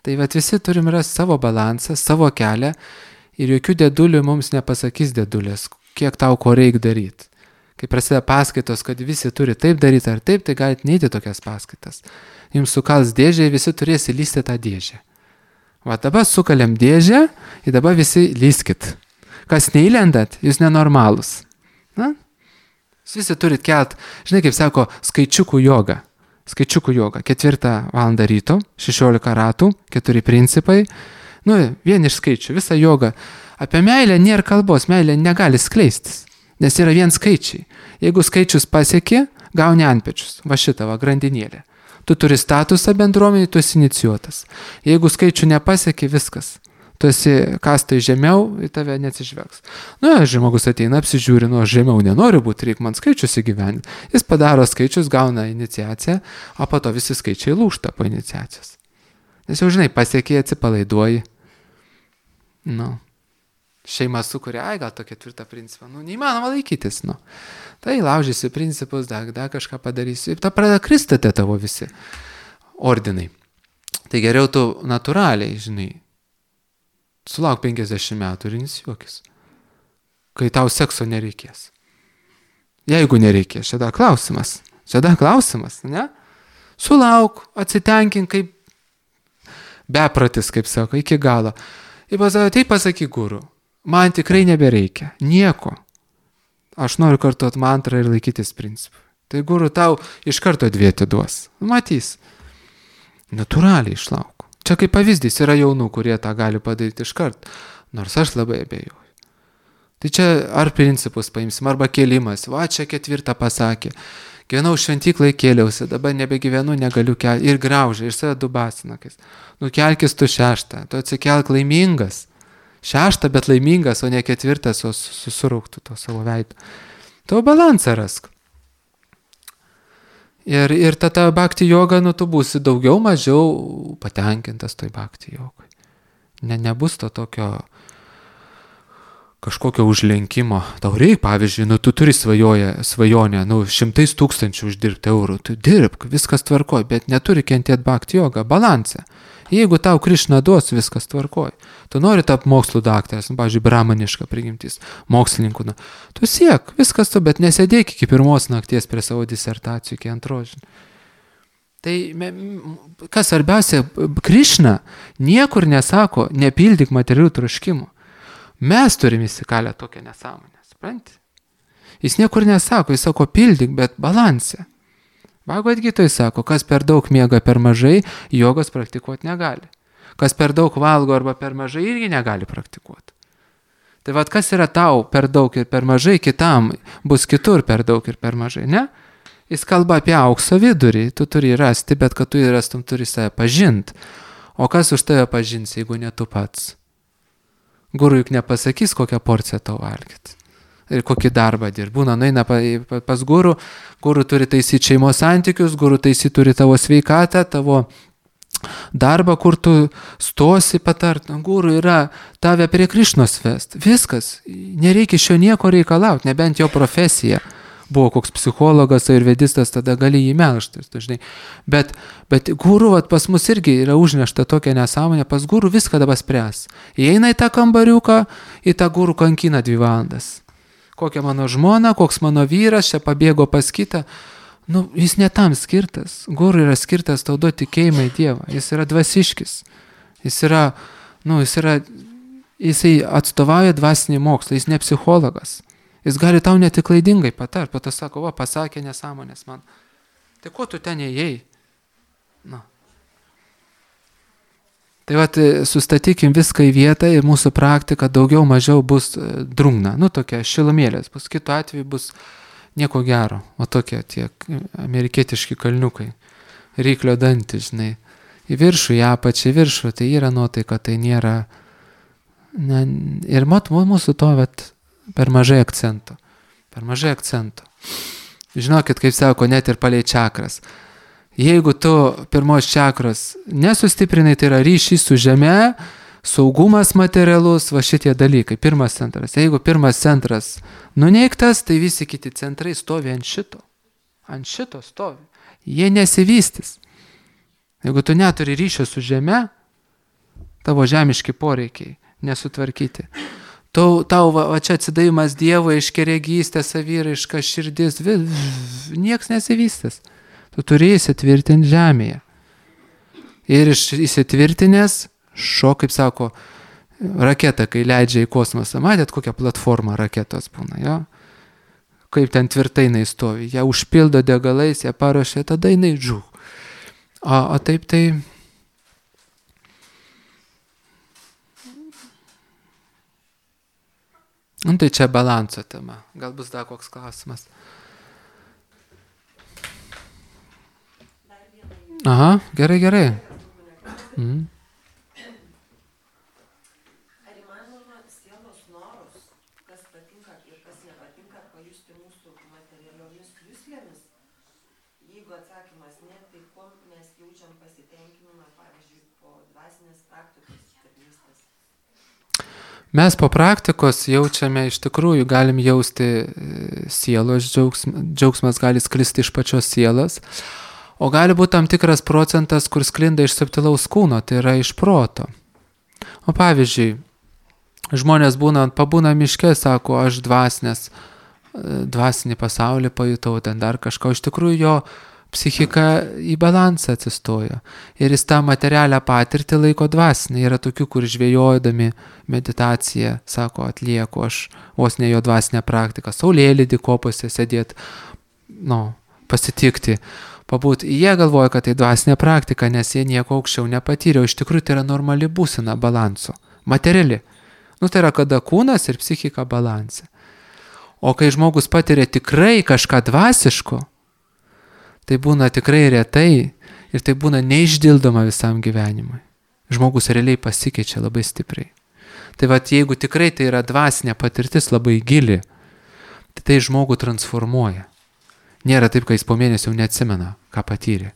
Tai visi turim rasti savo balansą, savo kelią ir jokių dedulių mums nepasakys dedulės, kiek tau ko reikia daryti. Kai prasideda paskaitos, kad visi turi taip daryti ar taip, tai galite neiti tokias paskaitas. Jums sukals dėžę ir visi turės įlysti tą dėžę. Va dabar sukalėm dėžę ir dabar visi lyskit. Kas neįlendat, jūs nenormalus. Visi turit kelt, žinai kaip sako, skaičiukų joga. Skaičiukų joga, 4 valandą ryto, 16 ratų, 4 principai, vien iš skaičių, visa joga. Apie meilę nėra kalbos, meilė negali skleistis, nes yra vien skaičiai. Jeigu skaičius pasieki, gauni antpečius, va šitą, grandinėlę. Tu turi statusą bendruomenį, tu esi inicijuotas. Jeigu skaičių nepasieki, viskas. Tu esi kastai žemiau, į tave neatsižvelgs. Žmogus ateina, apsižiūri, žemiau nenoriu būti, reikia man skaičius įgyvendinti. Jis padaro skaičius, gauna iniciaciją, o po to visi skaičiai lūžta po iniciacijos. Nes jau žinai, pasiekiai, atsipalaiduoji. Šeima sukuria, gal to 4 principą, neįmanoma laikytis, Tai laužysi principus, dar kažką padarysi, ir ta pradeda kristate tavo visi ordinai. Tai geriau tu natūraliai, žinai, sulauk 50 metų ir inicijuokis, kai tau sekso nereikės. Jeigu nereikės, čia dar klausimas, ne? Sulauk, atsitenkink kaip bepratis, kaip sako, iki galo. Ir tai pasakyk guru, man tikrai nebereikia, nieko. Aš noriu kartuoti mantrą ir laikytis principų. Tai guru tau iš karto 2 atiduos. Matys. Natūraliai išlauk. Čia kaip pavyzdys yra jaunų, kurie tą gali padaryti iš karto. Nors aš labai abejoju. Tai čia ar principus paimsim, arba kėlimas. Va, čia 4 pasakė. Gyvenau šventyklai, kėliausi, dabar nebegyvenu, negaliu kelti. Ir graužia, ir save dubasinakas. Nukelkis tu 6, tu atsikelk laimingas. 6, bet laimingas, o ne 4, o susirauktų to savo veidą. Tavo balansą rask. Ir tada bhakti joga, tu būsi daugiau, mažiau patenkintas toj bhakti jogai. Nebus to tokio kažkokio užlenkimo. Tau reikia, pavyzdžiui, tu turi svajonę, 100 000 uždirbti eurų. Tu dirbk, viskas tvarkoj, bet neturi kentėti bhakti jogą, balansą. Jeigu tau Krišna duos, viskas tvarkoj. Tu nori tapti mokslų daktaras, pavyzdžiui, brahmaniška prigimtis, mokslininkų. Tu siek, viskas tu, bet nesėdėk iki 1 nakties prie savo disertacijų, iki 2. Tai kas svarbiausia, Krišna niekur nesako, nepildyk materialių troškimų. Mes turime įsikalę tokią nesąmonę, supranti? Jis niekur nesako, jis sako pildyk, bet balansė. Bhagavad Gitoj sako, kas per daug miega per mažai, jogos praktikuoti negali. Kas per daug valgo arba per mažai, irgi negali praktikuoti. Tai vad, kas yra tau per daug ir per mažai, kitam bus kitur per daug ir per mažai, ne? Jis kalba apie aukso vidurį, tu turi rasti, bet kad tu jį rastum, turi save pažinti. O kas už tave pažins, jeigu ne tu pats? Guru juk nepasakys, kokią porciją tau valgyti. Ir kokį darbą dirb. Būna, nueina pas guru turi taisyti šeimos santykius, guru taisyti turi tavo sveikatą, tavo darbą, kur tu stosi patart. Guru yra tave prie Krišnos vest. Viskas. Nereikia iš jo nieko reikalauti, nebent jo profesija. Buvo koks psichologas ar vedistas, tada gali jį melžtis, dažnai. Bet guru pas mus irgi yra užnešta tokia nesąmonė, pas guru viską dabar spręs. Įeina į tą kambariuką, į tą guru kankina 2 valandas. Kokia mano žmona, koks mano vyras, čia pabėgo pas kitą. Jis ne tam skirtas. Guru yra skirtas tau duoti tikėjimą į Dievą. Jis yra dvasiškis. Jisai atstovauja dvasinį mokslą, jis ne psichologas. Jis gali tau netik klaidingai patart, po to sako, pasakė nesąmonės man. Tai ko tu ten ėjai? Tai sustatykim viską į vietą ir mūsų praktika daugiau mažiau bus drungna. Tokia šilumėlės, bus kitu atveju bus nieko gero. O tokie tie amerikietiški kalniukai, ryklio dantys, žinai. Į viršų, į apačią, į viršų, tai yra nuotaika, tai nėra. Ir mūsų to per mažai akcento. Žinokit, kaip sako, net ir palei čakras. Jeigu tu 1 čakros nesustiprinai, tai yra ryšys su žeme, saugumas materialus, šitie dalykai, 1 centras. Jeigu 1 centras nuneigtas, tai visi kiti centrai stovi ant šito. Ant šito stovi. Jie nesivystys. Jeigu tu neturi ryšio su žeme, tavo žemiški poreikiai nesutvarkyti. Tau čia atsidavimas Dievui, iškeregystė, saviraiška, širdis, nieks nesivystys. Tu turi įsitvirtinti žemėje. Ir įsitvirtinęs, kaip sako, raketa, kai leidžia į kosmosą. Matėt, kokią platformą raketos būna, jo? Kaip ten tvirtai jinai stovi. Ją užpildo degalais, ją paruošia, tada jinai žū. O taip tai... Tai čia balanso tema. Gal bus dar koks klausimas. Aha, gerai. Mhm. Ar įmanoma sielos norus, kas patinka ir kas nepatinka, pajusti mūsų materialiomis juslėmis? Jeigu atsakymas ne, tai kuo mes jaučiam pasitenkinimą, pavyzdžiui, po dvasinės praktikos tarnystės? Mes po praktikos jaučiame, iš tikrųjų galim jausti sielos džiaugsmas gali sklisti iš pačios sielos. O gali būti tam tikras procentas, kur sklinda iš subtilaus kūno, tai yra iš proto. O pavyzdžiui, žmonės pabūna miške, sako, aš dvasinį pasaulį pajutau, ten dar kažką. Iš tikrųjų jo psichika į balansą atsistojo. Ir jis tą materialią patirtį laiko dvasinį. Yra tokių, kur žvejojami meditaciją, sako, atlieku aš vos ne jo dvasinę praktiką. Saulėlydį kopose sėdėti, pasitikti. Pabūt, jie galvoja, kad tai dvasinė praktika, nes jie nieko aukščiau nepatyrė. O iš tikrųjų tai yra normali būsena balanso. Materiali. Tai yra, kada kūnas ir psichika balanse. O kai žmogus patiria tikrai kažką dvasiško, tai būna tikrai retai ir tai būna neišdildoma visam gyvenimui. Žmogus realiai pasikeičia labai stipriai. Tai jeigu tikrai tai yra dvasinė patirtis labai gili, tai žmogų transformuoja. Nėra taip, kai jis po mėnesio jau neatsimena, ką patyrė.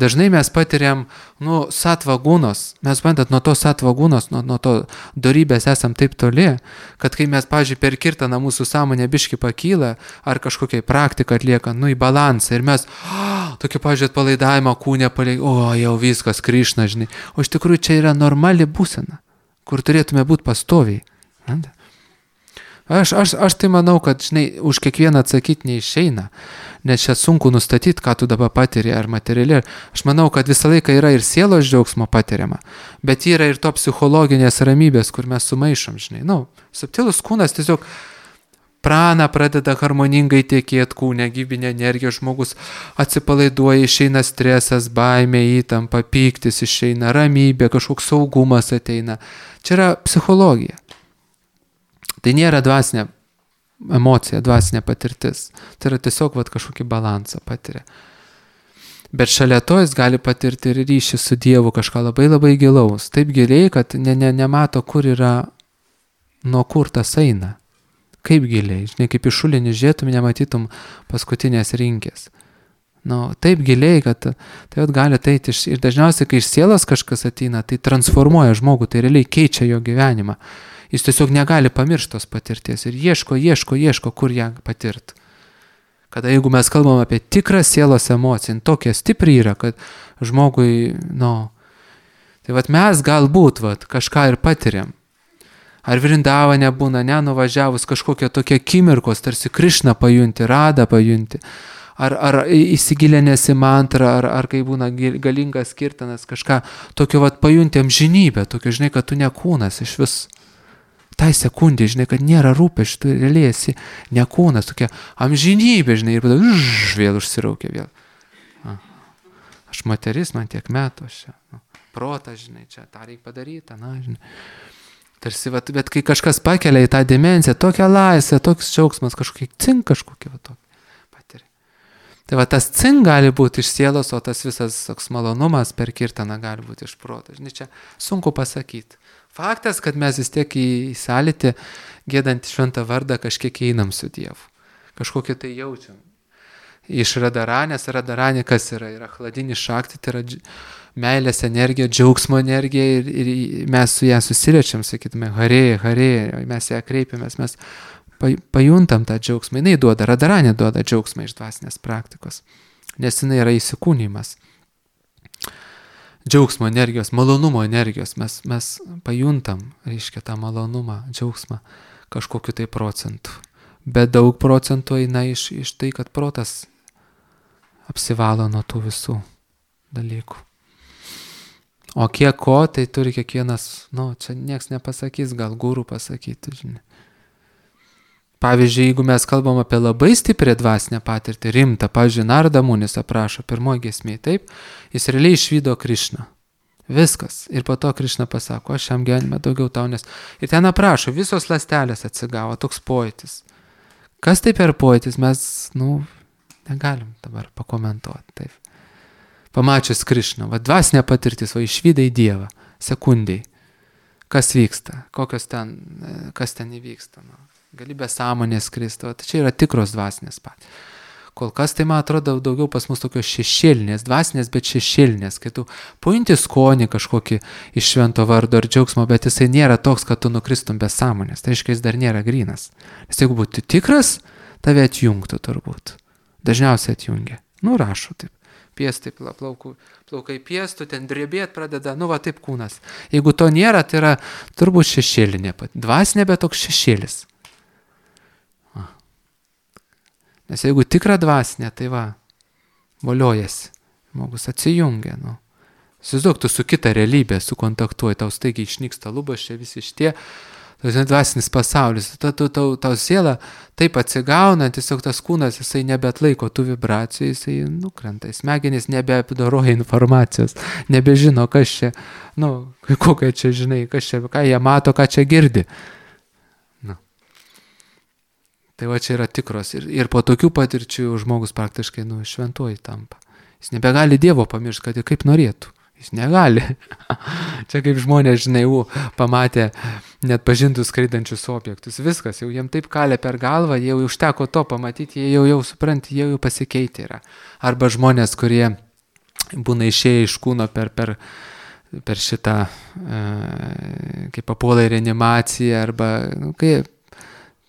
Dažnai mes patiriam, satvagūnos, mes nuo to satvagūnos, nuo to dorybės esam taip toli, kad kai mes, pavyzdžiui, per kirtaną mūsų sąmonė biški pakyla, ar kažkokiai praktiką atlieka, į balansą, ir mes, tokį, pavyzdžiui, atpalaidavimą kūnę jau viskas, Krišna, žinai. O iš tikrųjų čia yra normali būsena, kur turėtume būti pastoviai. Aš tai manau, kad, žinai, už kiekvieną atsakyti neišeina, nes čia sunku nustatyti, ką tu dabar patiri, ar materialiai. Aš manau, kad visą laiką yra ir sielos džiaugsmo patiriama, bet yra ir to psichologinės ramybės, kur mes sumaišom, žinai. Subtilus kūnas tiesiog prana pradeda harmoningai tekėti kūne, gyvybinė energija, žmogus atsipalaiduoja, išeina stresas, baimė, įtampa, pyktis išeina, ramybė, kažkoks saugumas ateina. Čia yra psichologija. Tai nėra dvasinė emocija, dvasinė patirtis. Tai yra tiesiog kažkokį balansą patiria. Bet šalia to jis gali patirti ir ryšį su Dievu, kažką labai labai gilaus. Taip giliai, kad nemato, kur yra, nuo kur tas eina. Kaip giliai. Žinai, kaip iš šulinį žiūrėtum, nematytum paskutinės rinkės. Taip giliai, kad tai gali ateiti ir dažniausiai, kai iš sielos kažkas ateina, tai transformuoja žmogų, tai realiai keičia jo gyvenimą. Jis tiesiog negali pamiršti tos patirties ir ieško, kur ją patirti. Kada jeigu mes kalbam apie tikrą sielos emociją, tokia stipri yra, kad žmogui, tai mes galbūt kažką ir patiriam. Ar Vrindavane būna, nuvažiavus kažkokie tokie akimirkos, tarsi Krišną pajunti, Radą pajunti, ar įsigilinęs į mantrą, ar kai būna galingas kirtanas, kažką tokio pajunti amžinybę, tokio, žinai, kad tu ne kūnas iš vis. Tai sekundė, žinai, kad nėra rūpesčių, tu realiai esi ne kūnas, tokia amžinybė, žinai, ir vėl užsiraukia vėl. Aš moteris, man tiek metų, aš čia, protas, žinai, čia tą reikia padaryti, žinai. Tarsi, bet kai kažkas pakelia į tą dimensiją, tokia laisvė, toks džiaugsmas, kažkokį patiri. Tai tas cink gali būti iš sielos, o tas visas toks malonumas per kirtaną gali būti iš proto. Žinai, čia sunku pasakyti. Faktas, kad mes vis tiek į sąlytį, giedant šventą vardą, kažkiek einam su Dievu. Kažkokį tai jaučiam. Iš Radaranės, Radaranė kas yra? Yra chladinis šakti, tai yra meilės energija, džiaugsmo energija ir mes su ją susiriečiam, sakytume, harė, mes ją kreipiamės, mes pajuntam tą džiaugsmą. Jinai duoda, Radaranė duoda džiaugsmą iš dvasinės praktikos, nes jinai yra įsikūnymas. Džiaugsmo energijos, malonumo energijos, mes pajuntam, reiškia, tą malonumą, džiaugsmą kažkokiu tai procentu. Bet daug procentų eina iš tai, kad protas apsivalo nuo tų visų dalykų. O kiek ko, tai turi kiekvienas, čia nieks nepasakys, gal guru pasakyti, žinai. Pavyzdžiui, jeigu mes kalbam apie labai stiprią dvasinę patirtį, rimtą, pavyzdžiui, Narada Munis aprašo pirmoji giesmėje, taip, jis realiai išvydo Krišną. Viskas. Ir po to Krišna pasako, aš šiam gyvenime daugiau tau nes. Ir ten aprašo, visos ląstelės atsigavo, toks pojūtis. Kas tai per pojūtis, mes, negalim dabar pakomentuoti, taip. Pamačius Krišną, dvasinė patirtis, išvydai Dievą, sekundai. Kas vyksta, kas ten įvyksta, galybė sąmonės Kristo, tai čia yra tikros dvasinės patys. Kol kas tai, man atrodo, daugiau pas mus tokios šešėlinės, dvasinės, bet šešėlinės, kai tu pajunti skonį kažkokį iš švento vardo ir džiaugsmo, bet jisai nėra toks, kad tu nukristum be sąmonės, tai reiškia, jis dar nėra grynas. Nes jeigu būtų tikras, tave atjungtų turbūt. Dažniausiai atjungia. Nu, rašo taip. Piestai, plaukai piestų, ten drebėt pradeda, nu va taip kūnas. Jeigu to nėra, tai yra turbūt šešėlinė, dvasinė, bet toks šešėlis. Nes jeigu tikra dvasinė, tai va, voliojasi, žmogus atsijungia, nu. Įsivaizduok, tu su kita realybė sukontaktuoji, tau staigiai išnyksta lubos, čia visi šitie, dvasinis pasaulis, tau siela taip atsigauna, tiesiog tas kūnas, jisai nebeatlaiko tų vibracijų, jisai nukrenta, smegenys nebeapdoroja informacijos, nebežino, kas čia, kokia čia, žinai, kas čia, ką jie mato, ką čia girdi. Tai va čia yra tikros ir po tokių patirčių žmogus praktiškai, šventuoju tampa. Jis nebegali Dievo pamiršti, kad ir kaip norėtų. Jis negali. Čia kaip žmonės, žinai, pamatė net pažintus skraidančius objektus. Viskas, jau jiem taip kalė per galvą, jau užteko to pamatyti, jie jau supranti, jie jau pasikeitė yra. Arba žmonės, kurie būna išėję iš kūno per šitą, kaip papuola į reanimaciją, arba,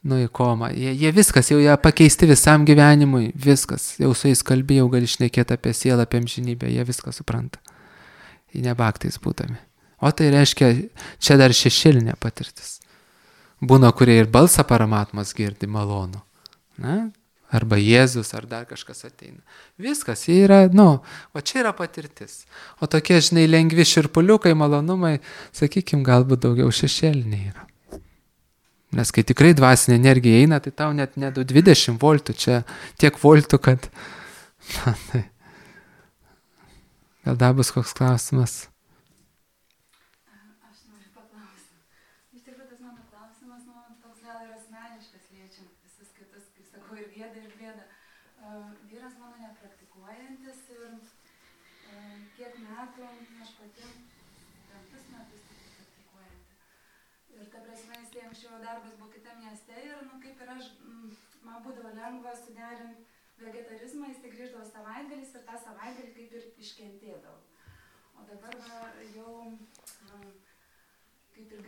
į komą. Jie viskas, jau jie pakeisti visam gyvenimui, viskas. Jau su jais kalbėjau, gali šnekėti apie sielą, apie amžinybę, jie viską supranta. Į nebaktais būdami. O tai reiškia, čia dar šešėlinė patirtis. Būna, kurie ir balsą paramatmas girdi malonu. Arba Jėzus, ar dar kažkas ateina. Viskas, jie yra, o čia yra patirtis. O tokie, žinai, lengvi širpuliukai, malonumai, sakykim, galbūt daugiau šešėliniai yra. Nes kai tikrai dvasinė energija eina, tai tau net 20 voltų, čia tiek voltų, kad... Gal dar bus koks klausimas? Aš noriu paklausyti. Iš tikrųjų, tas mano klausimas, toks gal ir asmeniškas, liečiant visus kitus, kaip sakau, ir gėda, ir bėda. Vyras mano nepraktikuojantis ir kiek metų, aš pati 5 metus praktikuojanti. Ir ta prasme, jis anksčiau darbas buvo kitam mieste ir, kaip ir aš, man būdavo lengva suderinti vegetarizmą, jis grįždavo savaitgalis ir tą savaitgalį kaip ir iškentėdavo. O dabar jau kaip ir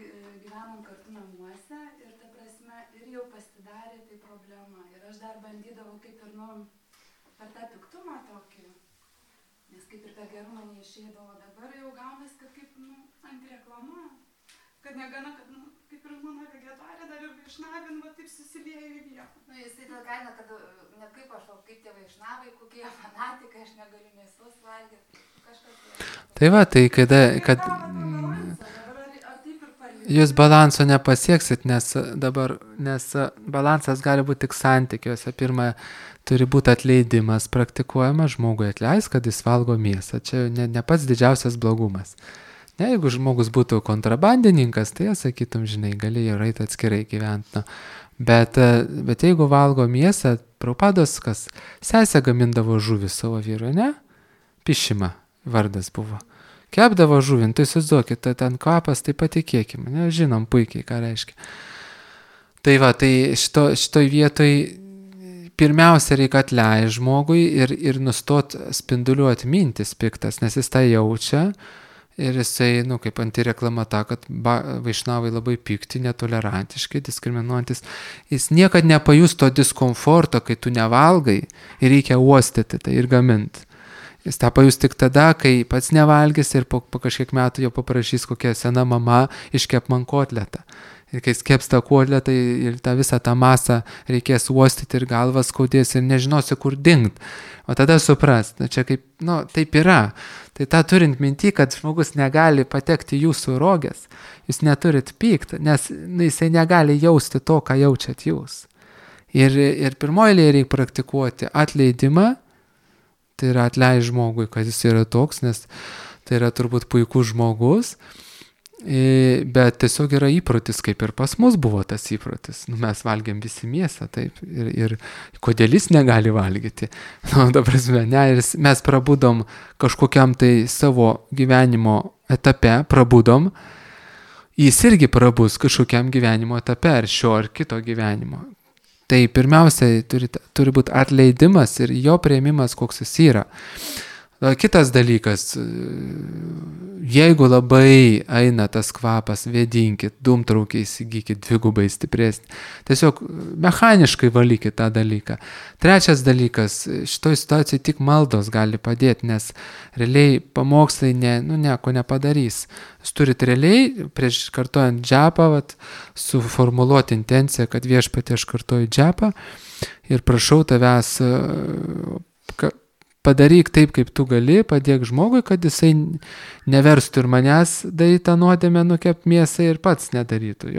gyvenom kartu namuose ir ta prasme ir jau pasidarė tai problema. Ir aš dar bandydavau kaip ir, per tą piktumą tokį, nes kaip ir per gerumą neišeidavo. Dabar jau gaunasi, kad kaip, antireklama, kad negana, kad, kaip ir mano vegetarė dar ir vaišnavin, taip susiliejo į vietą. Jisai tada kaina, kad ne kaip aš, o kaip tie vaišnavai, kokie fanatikai, aš negaliu mėsos valgyti, kažkas. Tai va, tai kad jūs balanso nepasieksit, nes balansas gali būti tik santykiuose. Pirma, turi būti atleidimas praktikuojamas, žmogui atleis, kad jis valgo mėsą. Čia ne pats didžiausias blogumas. Jeigu žmogus būtų kontrabandininkas, tai sakytum, žinai, galėjo eiti atskirai gyventi. Bet jeigu valgo mėsą, Prabhupados, kas sesė gamindavo žuvį savo vyru, ne? Pišima vardas buvo. Kepdavo žuvį, tai įsivaizduokit, ten kvapas, tai patikėkime, žinom puikiai, ką reiškia. Tai va, tai šitoj vietoj pirmiausia reikia atleisti žmogui ir nustot spinduliuoti mintis piktas, nes jis tą jaučia. Ir jisai, kaip antireklama ta, kad vaišnavai labai pikti, netolerantiški, diskriminuojantis. Jis niekad nepajus to diskomforto, kai tu nevalgai ir reikia uostyti tai ir gaminti. Jis tą pajus tik tada, kai pats nevalgys ir po kažkiek metų jo paprašys kokia sena mama iškep man kotletą. Ir kai skeps tą kotletą ir tą visą tą masą reikės uostyti ir galvas skaudės ir nežinosi, kur dingt. O tada supras, čia kaip, taip yra. Tai tą turint minti, kad žmogus negali patekti jūsų rogės, jūs neturit pykti, nes jisai negali jausti to, ką jaučiat jūs. Ir pirmoje eilėje reikia praktikuoti atleidimą, tai yra atleisti žmogui, kad jis yra toks, nes tai yra turbūt puikus žmogus, bet tiesiog yra įprotis, kaip ir pas mus buvo tas įprotis. Mes valgiam visi mėsą, taip, ir kodėl jis negali valgyti. Ir mes prabudom kažkokiam tai savo gyvenimo etape, jis irgi prabus kažkokiam gyvenimo etape, ar šio ar kito gyvenimo. Tai pirmiausia, turi būti atleidimas ir jo priėmimas, koks jis yra. Kitas dalykas, jeigu labai eina tas kvapas, vėdinkit, dūmtraukiai įsigykit, dvigubai stipresnį. Tiesiog mechaniškai valykit tą dalyką. Trečias dalykas, šitoj situacijai tik maldos gali padėti, nes realiai pamokslai nieko nepadarys. Jūs turit realiai, prieš kartojant džepą, suformuluoti intenciją, kad viešpatie aš kartoju džepą ir prašau tavęs padaryk taip, kaip tu gali, padėk žmogui, kad jisai neverstų ir manęs daryti tą nuodėmę, nukept mėsą ir pats nedarytų.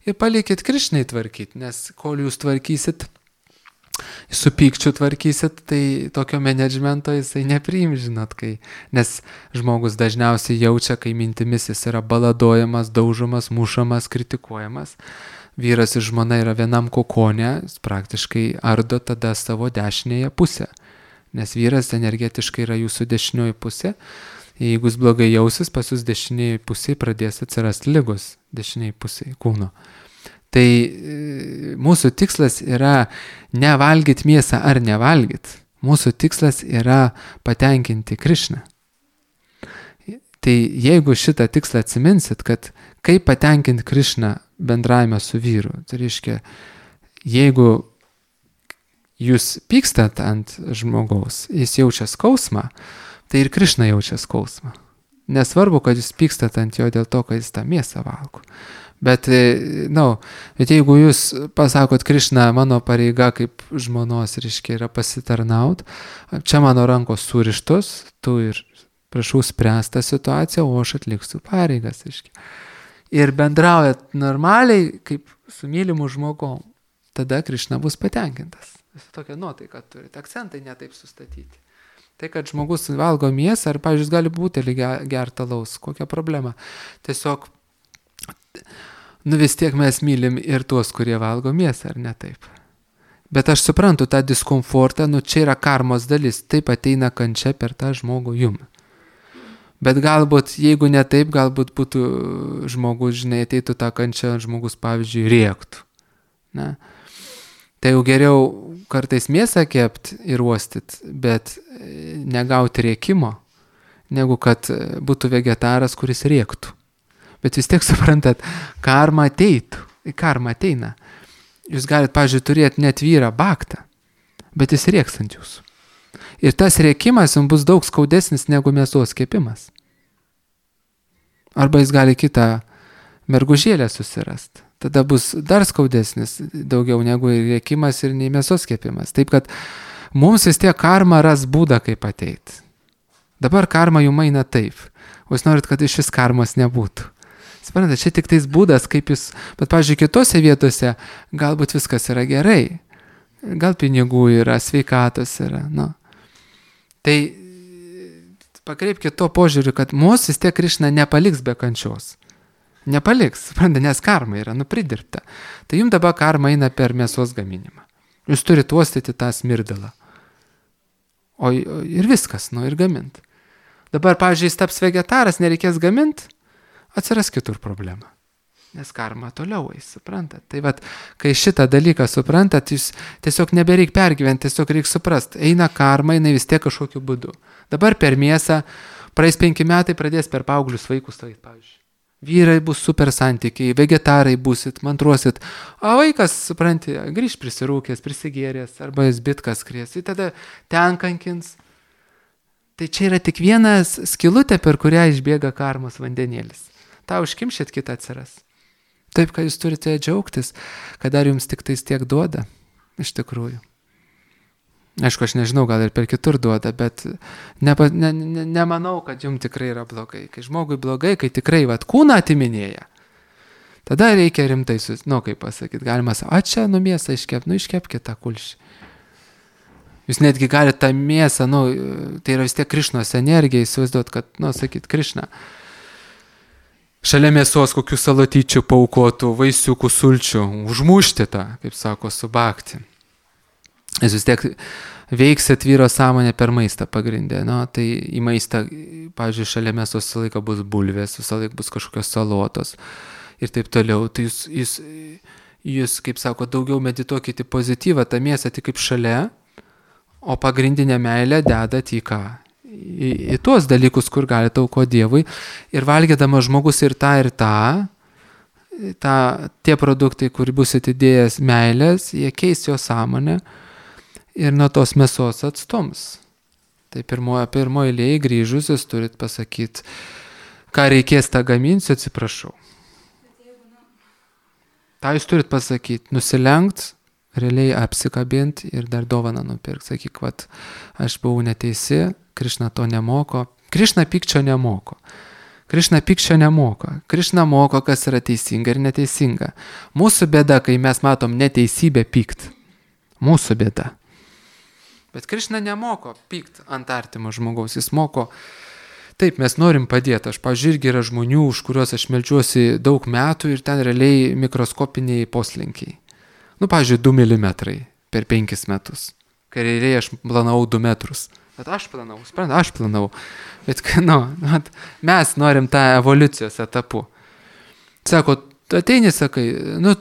Ir palikit Krišnai tvarkyti, nes kol jūs tvarkysit, su pykčiu tvarkysit, tai tokio menedžmento jisai nepriim, žinot, nes žmogus dažniausiai jaučia, kai mintimis jis yra baladojamas, daužomas, mušamas, kritikuojamas. Vyras ir žmona yra vienam kokone, jis praktiškai ardo tada savo dešinėje pusę. Nes vyras energetiškai yra jūsų dešinioji pusė. Jeigu jis blogai jausis, pas jūs dešinėje pusėje pradės atsirasti ligos dešinėje pusėje kūno. Tai mūsų tikslas yra nevalgyti mėsą ar nevalgyti. Mūsų tikslas yra patenkinti Krišną. Tai jeigu šitą tikslą atsiminsit, kad kaip patenkinti Krišną bendravime su vyru, tai reiškia, jeigu jūs pykstat ant žmogaus, jis jaučia skausmą, tai ir Krišna jaučia skausmą. Nesvarbu, kad jūs pykstat ant jo dėl to, kad jis tą mėsą valgo. Bet jeigu jūs pasakot, Krišna, mano pareiga kaip žmonos, reiškia, yra pasitarnaut, čia mano rankos surištos, tu ir prašau spręsti tą situaciją, o aš atliksiu pareigas, reiškia. Ir bendraujat normaliai, kaip su mylimu žmogom, tada Krišna bus patenkintas. Jūs tokią nuotaiką turite, akcentai netaip sustatyti. Tai, kad žmogus valgo mėsą, ar, pavyzdžiui, gali butelį gerti alaus, kokia problema. Tiesiog, vis tiek mes mylim ir tuos, kurie valgo mėsą, ar ne taip. Bet aš suprantu tą diskomfortą, čia yra karmos dalis, taip ateina kančia per tą žmogų jum. Bet galbūt, jeigu ne taip, galbūt būtų žmogus, ateitų tą kančią, žmogus, pavyzdžiui, rėktų. Ne? Tai jau geriau kartais mėsą kept ir uostyt, bet negauti rėkimo, negu kad būtų vegetaras, kuris rėktų. Bet vis tiek suprantat, karma ateitų, karma ateina. Jūs galite, pavyzdžiui, turėti net vyrą baktą, bet jis rėks ant jūsų. Ir tas rėkimas jums bus daug skaudesnis negu mėsos kepimas. Arba jis gali kitą mergužėlę susirasti. Tada bus dar skaudesnis daugiau negu rėkimas ir nei mėsos kepimas. Taip, kad mums vis tiek karma ras būdą, kaip ateiti. Dabar karma jums eina taip. O jūs norit, kad iš vis karmos nebūtų. Suprantate, čia tik tais būdas, kaip jūs... Bet, pavyzdžiui, kitose vietose galbūt viskas yra gerai. Gal pinigų yra, sveikatos yra. Tai pakreipkite to požiūrį, kad mūsų vis tiek Krišna nepaliks be kančios. Nepaliks, suprantate, nes karma yra pridirbta. Tai jums dabar karma eina per mėsos gaminimą. Jūs turite uostyti tą smirdalą. Ir viskas, ir gamint. Dabar, pavyzdžiui, jis taps vegetaras, nereikės gamint, atsiras kitur problema. Nes karma toliau eis, suprantat. Tai kai šitą dalyką suprantat, jūs tiesiog nebereik pergyventi, tiesiog reik suprast. Eina karma, eina vis tiek kažkokiu būdu. Dabar per mėsą, praeis 5 metai, pradės per paauglius vaikus stovėti, pavyzdžiui. Vyrai bus super santykiai, vegetarai busit, mantruosit, o vaikas, supranti, grįž prisirūkęs, prisigėręs, arba jis bitkas kries, tai tada ten kankins. Tai čia yra tik vienas skylutė, per kurią išbėga karmos vandenėlis. Ta užkimšit, kitą atsiras. Taip, kad jūs turite džiaugtis, kad dar jums tik tais tiek duoda, iš tikrųjų. Aišku, aš nežinau, gal ir per kitur duoda, bet nemanau, kad jums tikrai yra blogai. Kai žmogui blogai, kai tikrai kūną atiminėja, tada reikia rimtai, kaip pasakyti, galima sakyti, čia mėsą iškepkite tą kulšį. Jūs netgi galite tą mėsą, tai yra vis tiek Krišnos energija, įsivaizduot, kad, sakyt, Krišna, šalia mėsos kokių salatyčių paukotų, vaisiukų, sulčių, užmušti tą, kaip sako, subakti. Jūs vis tiek veiksit vyro sąmonę per maistą pagrindę. Tai į maistą, pavyzdžiui, šalia mėsos visą laiką bus bulvės, visą laiką bus kažkokios salotos ir taip toliau. Tai jūs kaip sako, daugiau medituokite pozityvą, tą mėsą tik kaip šalia, o pagrindinę meilę dedat į ką? į tuos dalykus, kur gali aukoti Dievui. Ir valgydamas žmogus ir tą, tie produktai, kur bus atidėjęs meilės, jie keis jo sąmonę ir nuo tos mėsos atstums. Tai pirmoji eilėje grįžus jūs turit pasakyti, ką reikės tą gaminsiu, atsiprašau. Ta jūs turit pasakyti, nusilenkt, realiai apsikabinti ir dar dovaną nupirkti. Sakyk, vat, aš buvau neteisi, Krišna to nemoko. Krišna pykčio nemoko. Krišna moko, kas yra teisinga ir neteisinga. Mūsų bėda, kai mes matom neteisybę pykt. Mūsų bėda. Bet Krišna nemoko pykt ant artimo žmogaus. Jis moko, taip, mes norim padėti. Aš, pavyzdžiui, irgi yra žmonių, už kuriuos aš meldžiuosi daug metų ir ten realiai mikroskopiniai poslinkiai. Pavyzdžiui, 2 mm per 5 metus. Kai realiai aš planavau 2 metrus. Bet aš planavau. Bet mes norim tą evoliucijos etapu. Sako, tu ateini, sakai,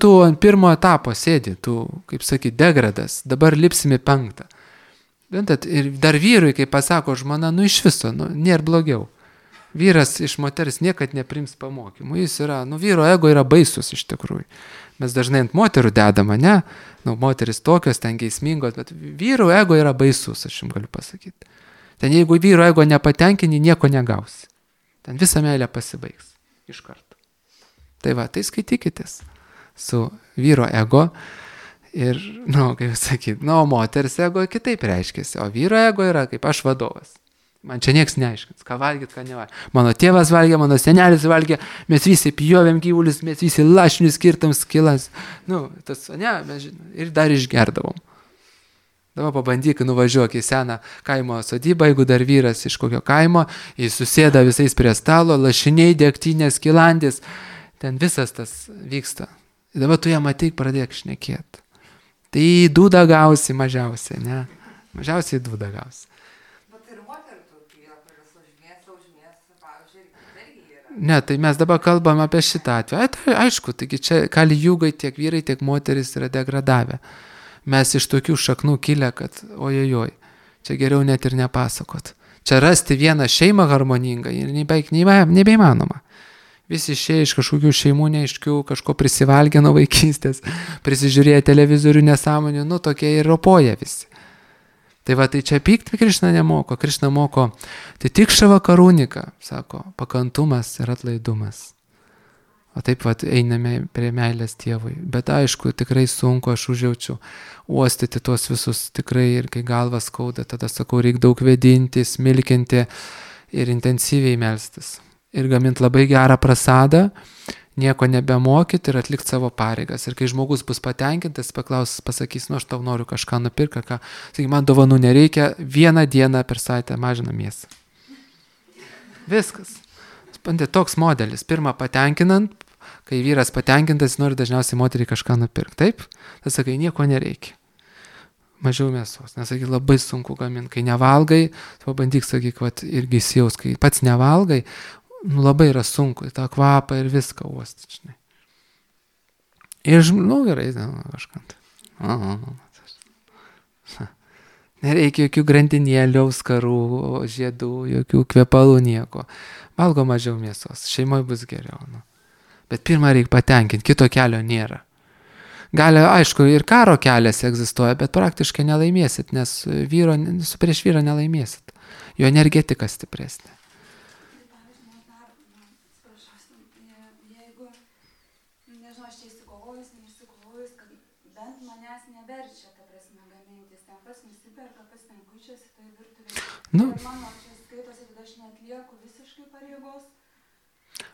tu ant pirmo etapo sėdi, tu, kaip sakai, degradas, dabar lipsime 5. Ir dar vyrui, kai pasako žmona, iš viso, nėra blogiau. Vyras iš moters niekad neprims pamokymų. Jis yra, vyro ego yra baisus iš tikrųjų. Mes dažnai ant moterų dedama, ne? Moteris tokios, ten geismingos, bet vyro ego yra baisus, aš jums galiu pasakyti. Ten jeigu vyro ego nepatenkini, nieko negausi. Ten visa meilė pasibaigs iš karto. Tai tai skaitykitės su vyro ego ir, kaip sakyti, moters ego kitaip reiškiasi, o vyro ego yra kaip aš vadovas. Man čia nieks neaiškins, ką valgyt, ką nevalgyt. Mano tėvas valgė, mano senelis valgė, mes visi pjovėm gyvulius, mes visi lašinius skirtam skilas. Ir dar išgerdavom. Dabar pabandyk, nuvažiuok į seną kaimo sodybą, jeigu dar vyras iš kokio kaimo, jis susėda visais prie stalo, lašiniai, degtinės, skilandis. Ten visas tas vyksta. Ir dabar tu jam ateik, pradėk šnekėti. Tai dūdą gausi mažiausiai, ne? Mažiausiai dūdą gausi. Ne, tai mes dabar kalbam apie šitą atveju. Tai aišku, taigi čia kali jūgai tiek vyrai, tiek moteris yra degradavę. Mes iš tokių šaknų kilę, kad ojojoj, čia geriau net ir nepasakot. Čia rasti vieną šeimą harmoningą ir nebeįmanoma. Visi išėję iš kažkokių šeimų neaiškių, kažko prisivalgė nuo vaikystės, prisižiūrėję televizorių nesąmonių, tokie ir ropoja visi. Tai tai čia pykti Krišna nemoko. Krišna moko, tai tik šava karūnika, sako, pakantumas ir atlaidumas. O taip einame prie meilės Dievui. Bet aišku, tikrai sunku, aš užjaučiu uostyti tuos visus tikrai ir kai galvas skauda, tada sakau, reikia daug vedinti, smilkinti ir intensyviai melstis. Ir gaminti labai gerą prasadą, nieko nebemokyti ir atlikti savo pareigas. Ir kai žmogus bus patenkintas, pasakys, aš tau noriu kažką nupirkti, sakai, man dovanų nereikia, 1 dieną per savaitę mažina mėsą. Viskas. Toks modelis. Pirmą patenkinant, kai vyras patenkintas, nori dažniausiai moteriai kažką nupirkti. Taip? Tai sakai, nieko nereikia. Mažiau mėsos. Nesakai, labai sunku gaminti. Kai nevalgai, pabandyk, sakyk, irgi įsijaus, kai pats nevalgai, labai yra sunku, tą kvapą ir viską uostyti, žinai. Ir, gerai, kažkant. Nereikia jokių grandinėlių, auskarų, žiedų, jokių kvepalų, nieko. Valgo mažiau mėsos, šeimoje bus geriau. Bet pirmą reikia patenkinti, kito kelio nėra. Gali, aišku, ir karo kelias egzistuoja, bet praktiškai nelaimėsit, nes prieš vyrą nelaimėsit. Jo energetika stipresnė. Mano čia skaitosi, kad aš neatlieku visiškai pareigos.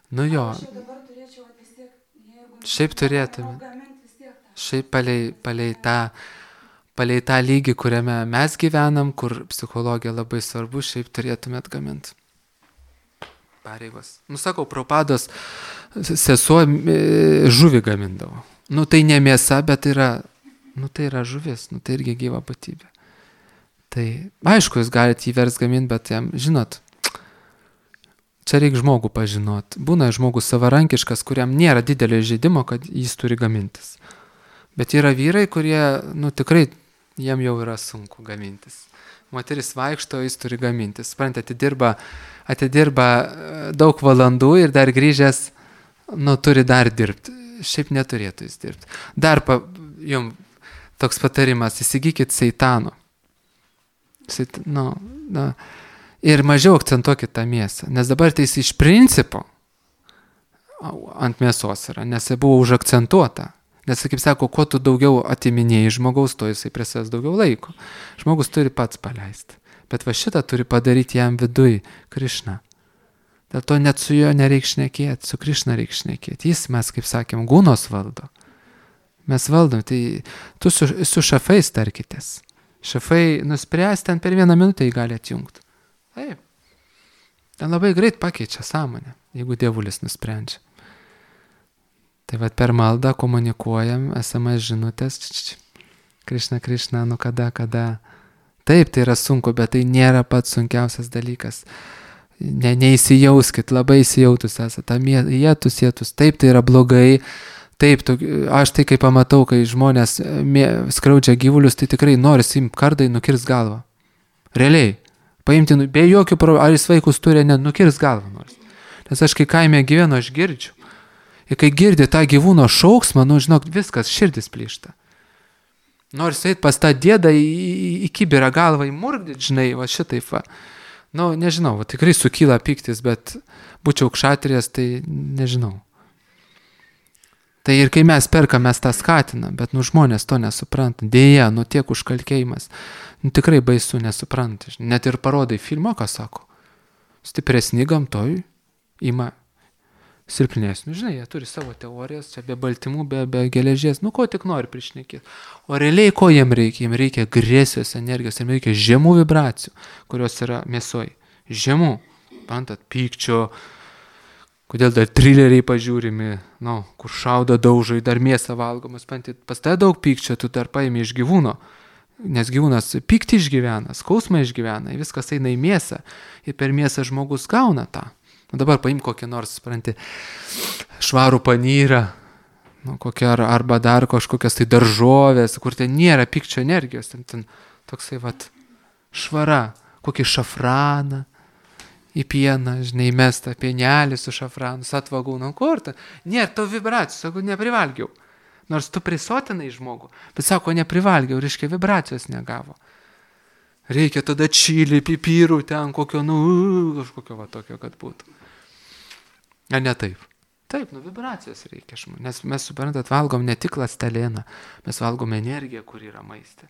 Jo. Aš jau dabar turėčiau vis tiek, jeigu... Šiaip turėtume. Šiaip palei tą lygį, kuriame mes gyvenam, kur psichologija labai svarbu, šiaip turėtume atgaminti pareigos. Sakau, Prabhupados sesuo žuvį gamindavo. Tai ne mėsa, bet tai yra žuvis, tai irgi gyva būtybė. Tai aišku, jūs galite jį vers gaminti, bet jam, žinot, čia reikia žmogų pažinot. Būna žmogus savarankiškas, kuriam nėra didelio žaidimo, kad jis turi gamintis. Bet yra vyrai, kurie, tikrai jiem jau yra sunku gamintis. Moteris vaikšto, jis turi gamintis. Suprantate, atidirba daug valandų ir dar grįžęs, turi dar dirbti. Šiaip neturėtų jis dirbti. Dar jums toks patarimas, įsigykit seitano. Ir mažiau akcentuokit tą mėsą. Nes dabar tai jis iš principo ant mėsos yra, nes jis buvo užakcentuota. Nes, kaip sako, kuo tu daugiau atiminėjai žmogaus, to jisai prie savęs daugiau laiko. Žmogus turi pats paleisti. Bet va šitą turi padaryti jam viduj Krišna. Dėl to net su juo nereikia šnekėti, su Krišna reikia šnekėti. Jis, mes, kaip sakėm, gūnos valdo. Mes valdom, tai tu su šafais tarkitės. Šafai nuspręs, ten per 1 minutę jį gali atjungti. Taip. Ten labai greit pakeičia sąmonę, jeigu dievulis nusprendžia. Tai va per maldą komunikuojam, SMS žinutės. Krišna, Krišna, kada. Taip, tai yra sunku, bet tai nėra pats sunkiausias dalykas. Neįsijauskit, labai įsijautus esate. Jėtus. Taip, tai yra blogai. Taip, aš tai kai pamatau, kai žmonės skriaudžia gyvulius, tai tikrai nori imti kardą, nukirs galvą. Realiai. Paimti, be jokių problemų, ar jis vaikus turi, nukirs galvą nors. Nes aš kai kaime gyvenu, aš girdžiu. Ir kai girdi tą gyvūno šauksmą, žinok, viskas, širdis plyšta. Nors eit pas tą dėdą į kibirą galvą įmurgdyti, žinai, va šitaip va. Nežinau, va, tikrai sukyla piktis, bet būčiau kšatrijas, tai nežinau. Tai ir kai mes perkam, mes tą skatinam, bet žmonės to nesupranta. Dėja, tiek užkalkėjimas. Tikrai baisu nesupranta. Net ir parodai filmo, ką sako. Stipresni gamtoj ima silpnesnių. Žinai, jie turi savo teorijas, čia be baltymų, be geležies, ko tik nori prišnekėti. O realiai ko jiem reikia? Jiem reikia agresijos energijos, jiem reikia žemų vibracijų, kurios yra mėsoj. Žemų, pantat, pykčio, kodėl dar trileriai pažiūrimi, kur šaudo daužai, dar mėsą valgomas, pantat, pas tai daug pykčio, tu dar paimi iš gyvūno, nes gyvūnas pyktį išgyvena, skausmą išgyvena, viskas eina į mėsą ir per mėsą žmogus gauna tą. Dabar paim kokį nors, supranti, švarų panyrą, arba dar kažkokias tai daržovės, kur ten nėra pykčio energijos, ten toksai švara, kokį šafraną į pieną, žinai, mestą pienelį su šafranu, satvagų, kur ten, nėra to vibracijos, sako, neprivalgiau. Nors tu prisotinai žmogų, bet sako, neprivalgiau, reiškia, vibracijos negavo. Reikia tada čili, pipirų ten kokio, kažkokio tokio, kad būtų. Ar ne taip? Taip, vibracijos reikia, nes mes, suprantat, valgom ne tik ląstelieną, mes valgom energiją, kur yra maiste.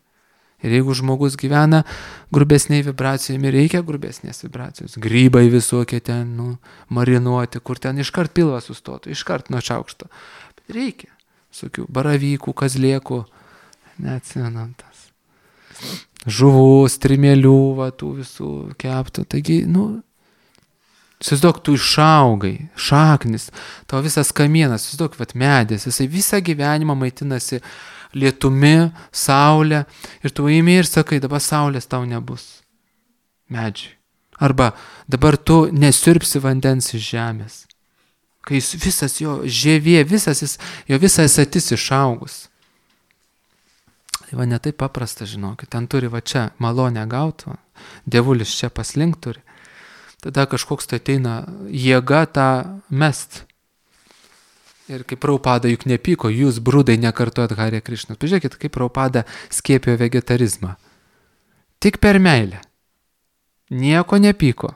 Ir jeigu žmogus gyvena grubesniai vibracijami, reikia grubesnės vibracijos. Grybai visokie ten, marinuoti, kur ten iškart pilvas sustotų, iškart nuo šaukšto. Bet reikia visokių baravykų, kazlėkų, neatsinant tas. Žuvų, strimėlių, tų visų keptų. Taigi, įsivaizduok, tu išaugai, šaknis, tavo visas kamienas, įsivaizduok, medis, jisai visą gyvenimą maitinasi lietumi, saulė, ir tu imi ir sakai, dabar saulės tau nebus. Medžiai. Arba dabar tu nesirpsi vandens iš žemės. Kai visas jo žievė, jo visas atis išaugus. Tai ne taip paprasta, žinokit, ten turi čia malonę gauti, dievulis čia paslink turi. Tada kažkoks tai ateina jėga tą mest. Ir kaip Prabhupada juk nepyko, jūs brudai nekartojat Hare Krišnos. Pažiūrėkit, kaip Prabhupada skiepijo vegetarizmą. Tik per meilę. Nieko nepyko.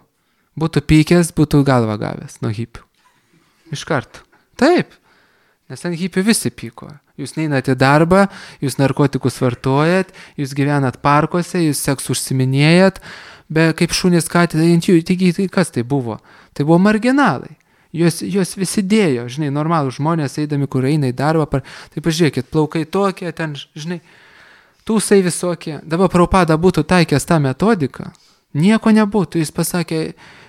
Būtų pykęs, būtų galvą gavęs nuo hipių. Iš karto. Taip. Nes ant hipių visi pyko. Jūs neinate į darbą, jūs narkotikus vartojat, jūs gyvenat parkuose, jūs seksu užsiminėjat, bet kaip šunys katė ant jų, tai kas tai buvo? Tai buvo marginalai. Jos visi dėjo, žinai, normalų žmonės eidami, kur eina į darbą, tai pažiūrėkit, plaukai tokie, ten, žinai, tūsai visokie. Dabar Prabhupada būtų taikęs tą metodiką, nieko nebūtų, jis pasakė,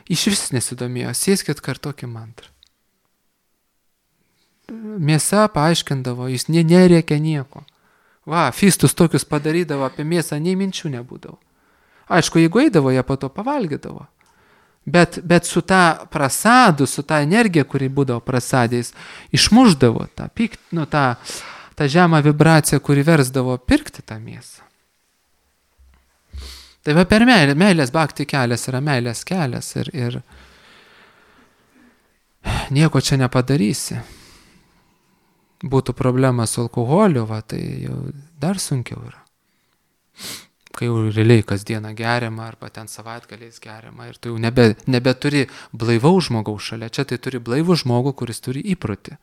iš vis nesidomėjo, sėskit kartokį mantrą. Mėsa paaiškindavo, jis nerėkė nieko. Fistus tokius padarydavo, apie mėsą nei minčių nebūdavo. Aišku, jeigu eidavo, jie po to pavalgydavo. Bet su ta prasadu, su ta energija, kuri būdavo prasadėjais, išmuždavo tą žemą vibraciją, kuri versdavo pirkti tą mėsą. Tai va per meilės bhakti kelias yra meilės kelias ir nieko čia nepadarysi. Būtų problema su alkoholiu, va, tai jau dar sunkiau yra. Kai jau realiai kasdieną geriama arba ten savaitgaliais geriama ir tu jau nebeturi blaivaus žmogaus šalia. Čia tai turi blaivų žmogų, kuris turi įprotį.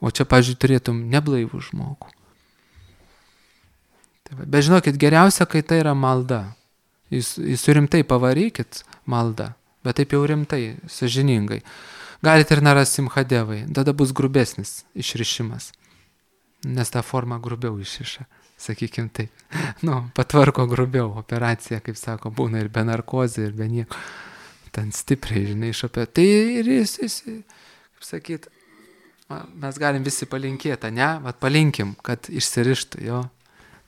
O čia, pavyzdžiui, turėtum neblaivų žmogų. Tai va, bet žinokit, geriausia, kai tai yra malda. Jūs rimtai pavarykit maldą, bet taip jau rimtai, sąžiningai. Galite ir Narasimhadevai, tada bus grubesnis išrišimas, nes tą formą grubiau išiša, sakykim taip. Patvarko grubiau, operacija, kaip sako, būna ir be narkozė, ir be nieko. Ten stipriai, žinai, išopė. Tai ir jis, kaip sakyt, mes galim visi palinkėti, ne? Vat palinkim, kad išsirištų, jo.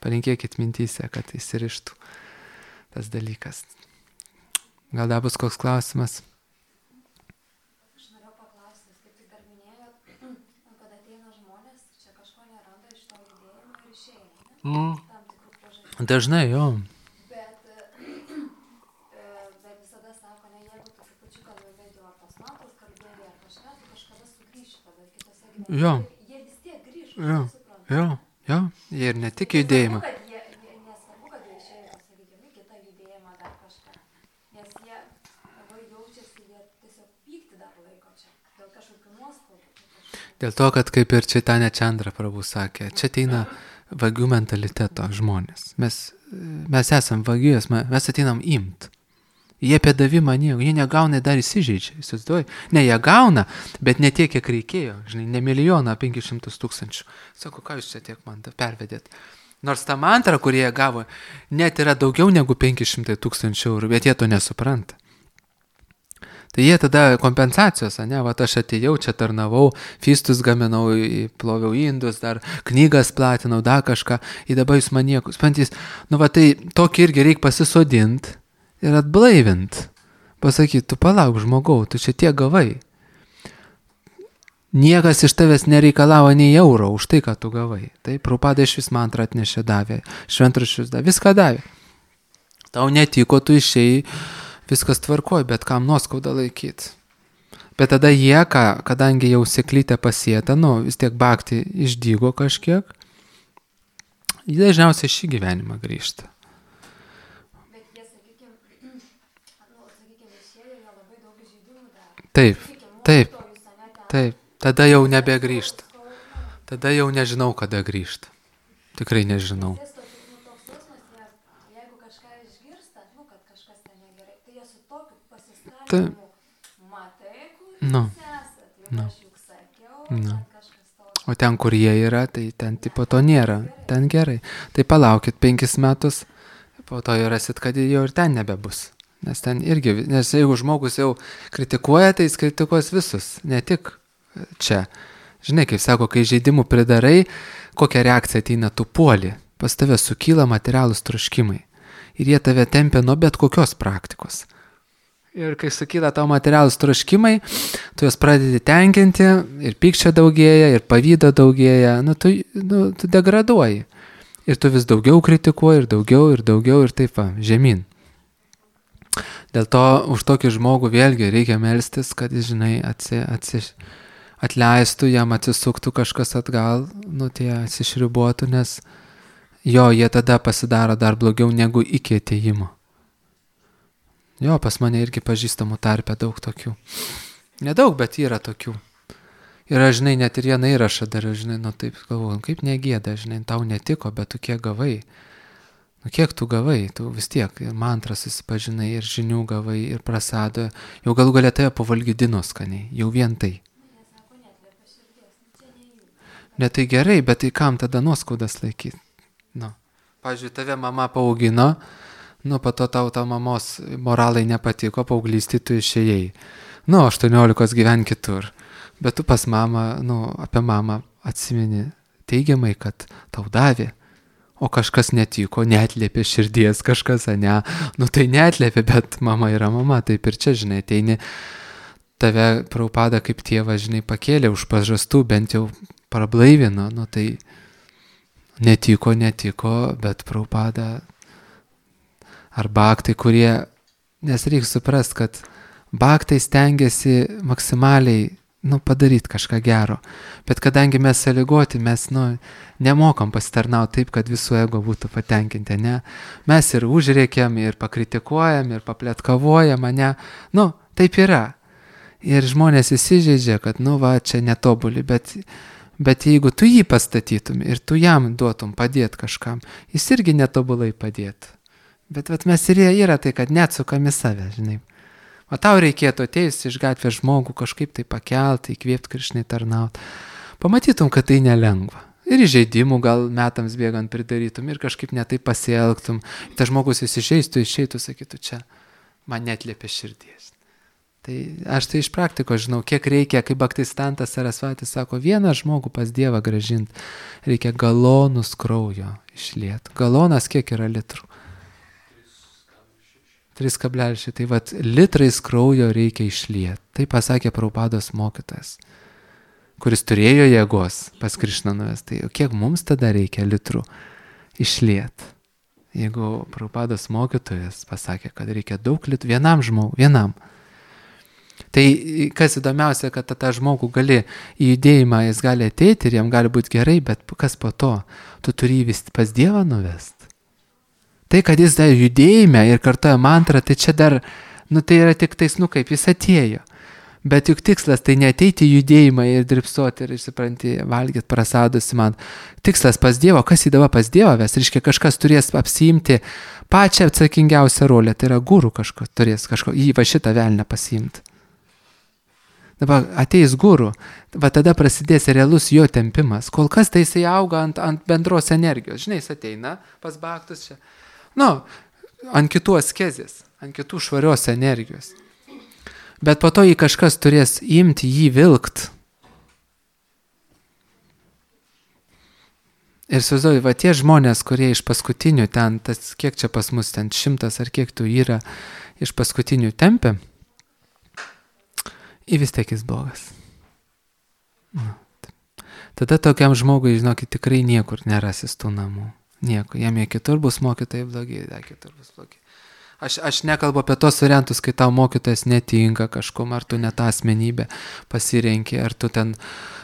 Palinkėkit mintyse, kad išsirištų tas dalykas. Gal dar bus koks klausimas? Aš norėjau paklausti, kaip tik dar minėjot, kad ateina žmonės, čia kažko neranda iš to judėjimo ir išeina, ne? Tam tikrų priežasčių. Dažnai, jo. Bet visada sako, ne, jeigu tu trupučiuką bent jau ar tos matos kalbėjai ar kažką, tu kažkada sugrįši tada kitose gyvenime. Jo. Jie vis tiek grįš, Jo. supranta. Jo. Jie ir ne tik judėjimą. Nesvarbu, kad jie išėjo, sakykime, kitą judėjimą dar kažką. Nes jie labai jaučiasi, jie tiesiog pykti dar laiko čia. Dėl kažkokių nuoskaudų. Dėl to, kad kaip ir Čaitanė Čandra Prabhu sakė, čia ateina vagių mentaliteto žmonės. Mes esam vagijos, mes ateinam imt. Jie apie davimą nieko, jie negauna, dar įsižeidžia, įsivaizduoji. Ne, jie gauna, bet ne tiek, kiek reikėjo, žinai, ne milijoną, 500 000. Sako, ką jūs čia tiek man pervedėt? Nors ta mantra, kurie jie gavo, net yra daugiau negu 500 000 eurų, bet jie to nesupranta. Tai jie tada kompensacijos, ne, va aš atėjau, čia tarnavau, fistus gaminau, ploviau indus, dar knygas platinau, dar kažką, ir dabar jūs man nieko, spantys, va tai tokį irgi reikia pasisodinti ir atblaivint. Pasakyti, tu palauk žmogau, tu čia tiek gavai. Niekas iš tavęs nereikalavo nei euro už tai, ką tu gavai. Tai Prabhupada iš vis mantrą atnešė, davė, šventraščius davė, viską davė. Tau netiko, tu išėjai, viskas tvarkoj, bet kam nuoskaudą laikyti. Bet tada jie, kadangi jau seklytė pasėta, vis tiek bhakti išdygo kažkiek, jie dažniausiai šį gyvenimą grįžta. Taip, tada jau nebegrįžta. Tada jau nežinau, kada grįžta. Tikrai nežinau. Jeigu kažką išgirsta, kad kažkas ten negerai, tai jie su tokiu pasiskambinimu, matai, kur jūs esat, jau aš juk sakiau, ten kažkas tau. O ten, kur jie yra, tai ten tipo to nėra. Ten gerai. Tai palaukit 5 metus, po to jau rasit, kad jau ir ten nebebus. Nes ten irgi, nes jeigu žmogus jau kritikuoja, tai jis kritikuos visus, ne tik čia. Žinai, kaip sako, kai žaidimų pridarai, kokia reakcija ateina, tu puoli, pas tave sukyla materialūs troškimai. Ir jie tave tempia nuo bet kokios praktikos. Ir kai sukyla tavo materialūs troškimai, tu juos pradedi tenkinti, ir pykčio daugėja, ir pavydo daugėja, tu degraduoji. Ir tu vis daugiau kritikuoji, ir daugiau, ir taip va, žemyn. Dėl to už tokį žmogų vėlgi reikia melstis, kad jis, žinai, atleistų, jam atsisuktų kažkas atgal, tie atsišribuotų, nes jie tada pasidaro dar blogiau negu iki atėjimo. Pas mane irgi pažįstamų tarpe daug tokių. Nedaug, bet yra tokių. Ir aš, žinai, net ir vieną įrašą dar, žinai, taip galvoju, kaip negėda, žinai, tau netiko, bet tu kiek gavai. Kiek tu gavai, tu vis tiek ir mantrą susipažinai, ir žinių gavai, ir prasadą, jau galų galia tave pavalgydino skaniai, jau vien tai. Ne tai gerai, bet tai kam tada nuoskaudas laikyti? Pavyzdžiui, tave mama paaugino, po to tau mamos moralai nepatiko, paauglystį tu išėjai. 18 gyven kitur, bet tu pas mamą, apie mamą atsimeni teigiamai, kad tau davė. O kažkas netiko, neatliepė širdies kažkas, ne? Tai neatliepė, bet mama yra mama, taip ir čia, žinai, ateini, tave Prabhupada kaip tėvą, žinai, pakėlė už pažastų, bent jau prablaivino, tai netiko, bet Prabhupada ar baktai, kurie, nes reikia suprasti, kad baktai stengiasi maksimaliai padaryti kažką gero. Bet kadangi mes sąlygoti, mes nemokam pasitarnauti taip, kad visų ego būtų patenkinti, ne? Mes ir užrėkiam, ir pakritikuojam, ir papletkavojam, ne? Taip yra. Ir žmonės įsižeidžia, kad čia netobuli, bet jeigu tu jį pastatytum ir tu jam duotum padėti kažkam, jis irgi netobulai padėtų. Bet mes ir yra tai, kad neatsukam į save, žinai. O tau reikėtų atėjus iš gatvės žmogų kažkaip tai pakelti, įkvėpti, Krišnai tarnauti. Pamatytum, kad tai nelengva. Ir įžeidimų gal metams bėgant pridarytum ir kažkaip netai pasielgtum. Tas žmogus įsižeistų, išeitų, sakytų, čia man netlėpė širdies. Tai aš tai iš praktikos žinau, kiek reikia, kaip Bhaktistantas Sarasvatis sako, vieną žmogų pas Dievą grąžinti, reikia galonus kraujo išlieti. Galonas kiek yra litrų? 3,6. Tai litrais kraujo reikia išlieti. Tai pasakė Prabhupados mokytojas, kuris turėjo jėgos pas Krišną nuvesti. Tai kiek mums tada reikia litrų išlieti? Jeigu Prabhupados mokytojas pasakė, kad reikia daug litrų vienam žmogui, vienam. Tai kas įdomiausia, kad tą žmogų gali į judėjimą, jis gali ateiti ir jam gali būti gerai, bet kas po to? Tu turi jį vis pas Dievą nuvesti. Tai, kad jis dar judėjime ir kartoja mantrą, tai čia dar, tai yra tik tais, kaip jis atėjo. Bet juk tikslas tai neateiti į judėjimą ir dripsuoti ir, supranti, valgyti prasadusi man. Tikslas pas Dievą, kas įdava pas Dievą ves, reiškia kažkas turės apsiimti pačią atsakingiausią rolę, tai yra guru kažko turės, šitą velnę pasiimti. Dabar ateis guru, tada prasidės realus jo tempimas. Kol kas tai jisai auga ant bendros energijos. Žinai, jis ateina pas baktus čia. Ant kitų askezės, ant kitų švarios energijos. Bet po to jį kažkas turės imti, jį vilkt. Ir suvaizduoju, tie žmonės, kurie iš paskutinių ten, kiek čia pas mus ten 100 ar kiek tų yra iš paskutinių tempė, į vis tiek jis blogas. Tada tokiam žmogui, žinokit, tikrai niekur nerasis tų namų. Nieko, jam jie kitur bus mokytojai blogi, kitur bus blogi. Aš nekalbu apie tos variantus, kai tau mokytojas netinka kažkom, ar tu ne tą asmenybę pasirenki, ar tu ten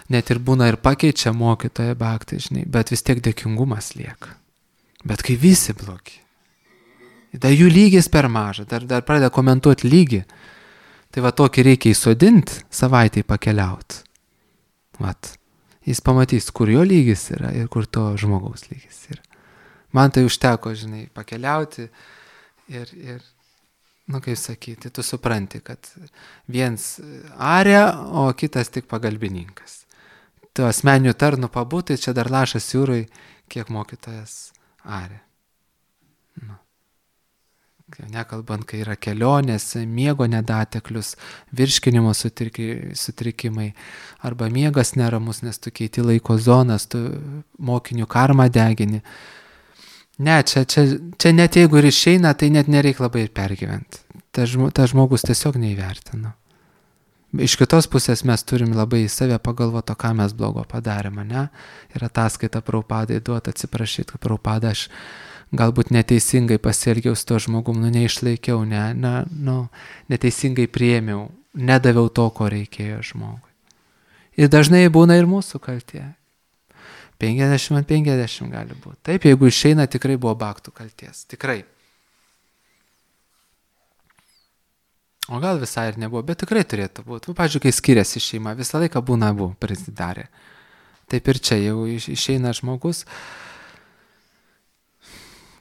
net ir būna ir pakeičia mokytoją bhakti, žinai, bet vis tiek dėkingumas lieka. Bet kai visi blogi, dar jų lygis per maža, dar pradeda komentuoti lygį, tai tokį reikia įsodinti, savaitai pakeliauti. Jis pamatys, kur jo lygis yra ir kur to žmogaus lygis yra. Man tai užteko, žinai, pakeliauti ir kaip sakyti, tu supranti, kad viens aria, o kitas tik pagalbininkas. Tu asmeninių tarnų pabūtai, čia dar lašas jūrai, kiek mokytojas aria. Nekalbant, kai yra kelionės, miego nedateklius, virškinimo sutrikimai, arba miegas neramus, nes tu keiti laiko zonas, tu mokinių karmą degini. Ne, čia net jeigu ir išeina, tai net nereikia labai ir pergyventi. Ta žmogus tiesiog neįvertina. Iš kitos pusės mes turim labai į save pagalvoti, ką mes blogo padarėme, ne? Ir ataskaita Prabhupadai duoti, atsiprašyti, kad Prabhupada aš galbūt neteisingai pasielgiau su to žmogum, neišlaikiau, neteisingai priėmiau, nedaviau to, ko reikėjo žmogui. Ir dažnai būna ir mūsų kaltė. 50/50 gali būti. Taip, jeigu išeina, tikrai buvo baktų kalties. Tikrai. O gal visai ir nebuvo, bet tikrai turėtų būti. Pavyzdžiui, kai skiriasi šeima, visą laiką būna abu prisidarę. Taip ir čia, jeigu išeina žmogus,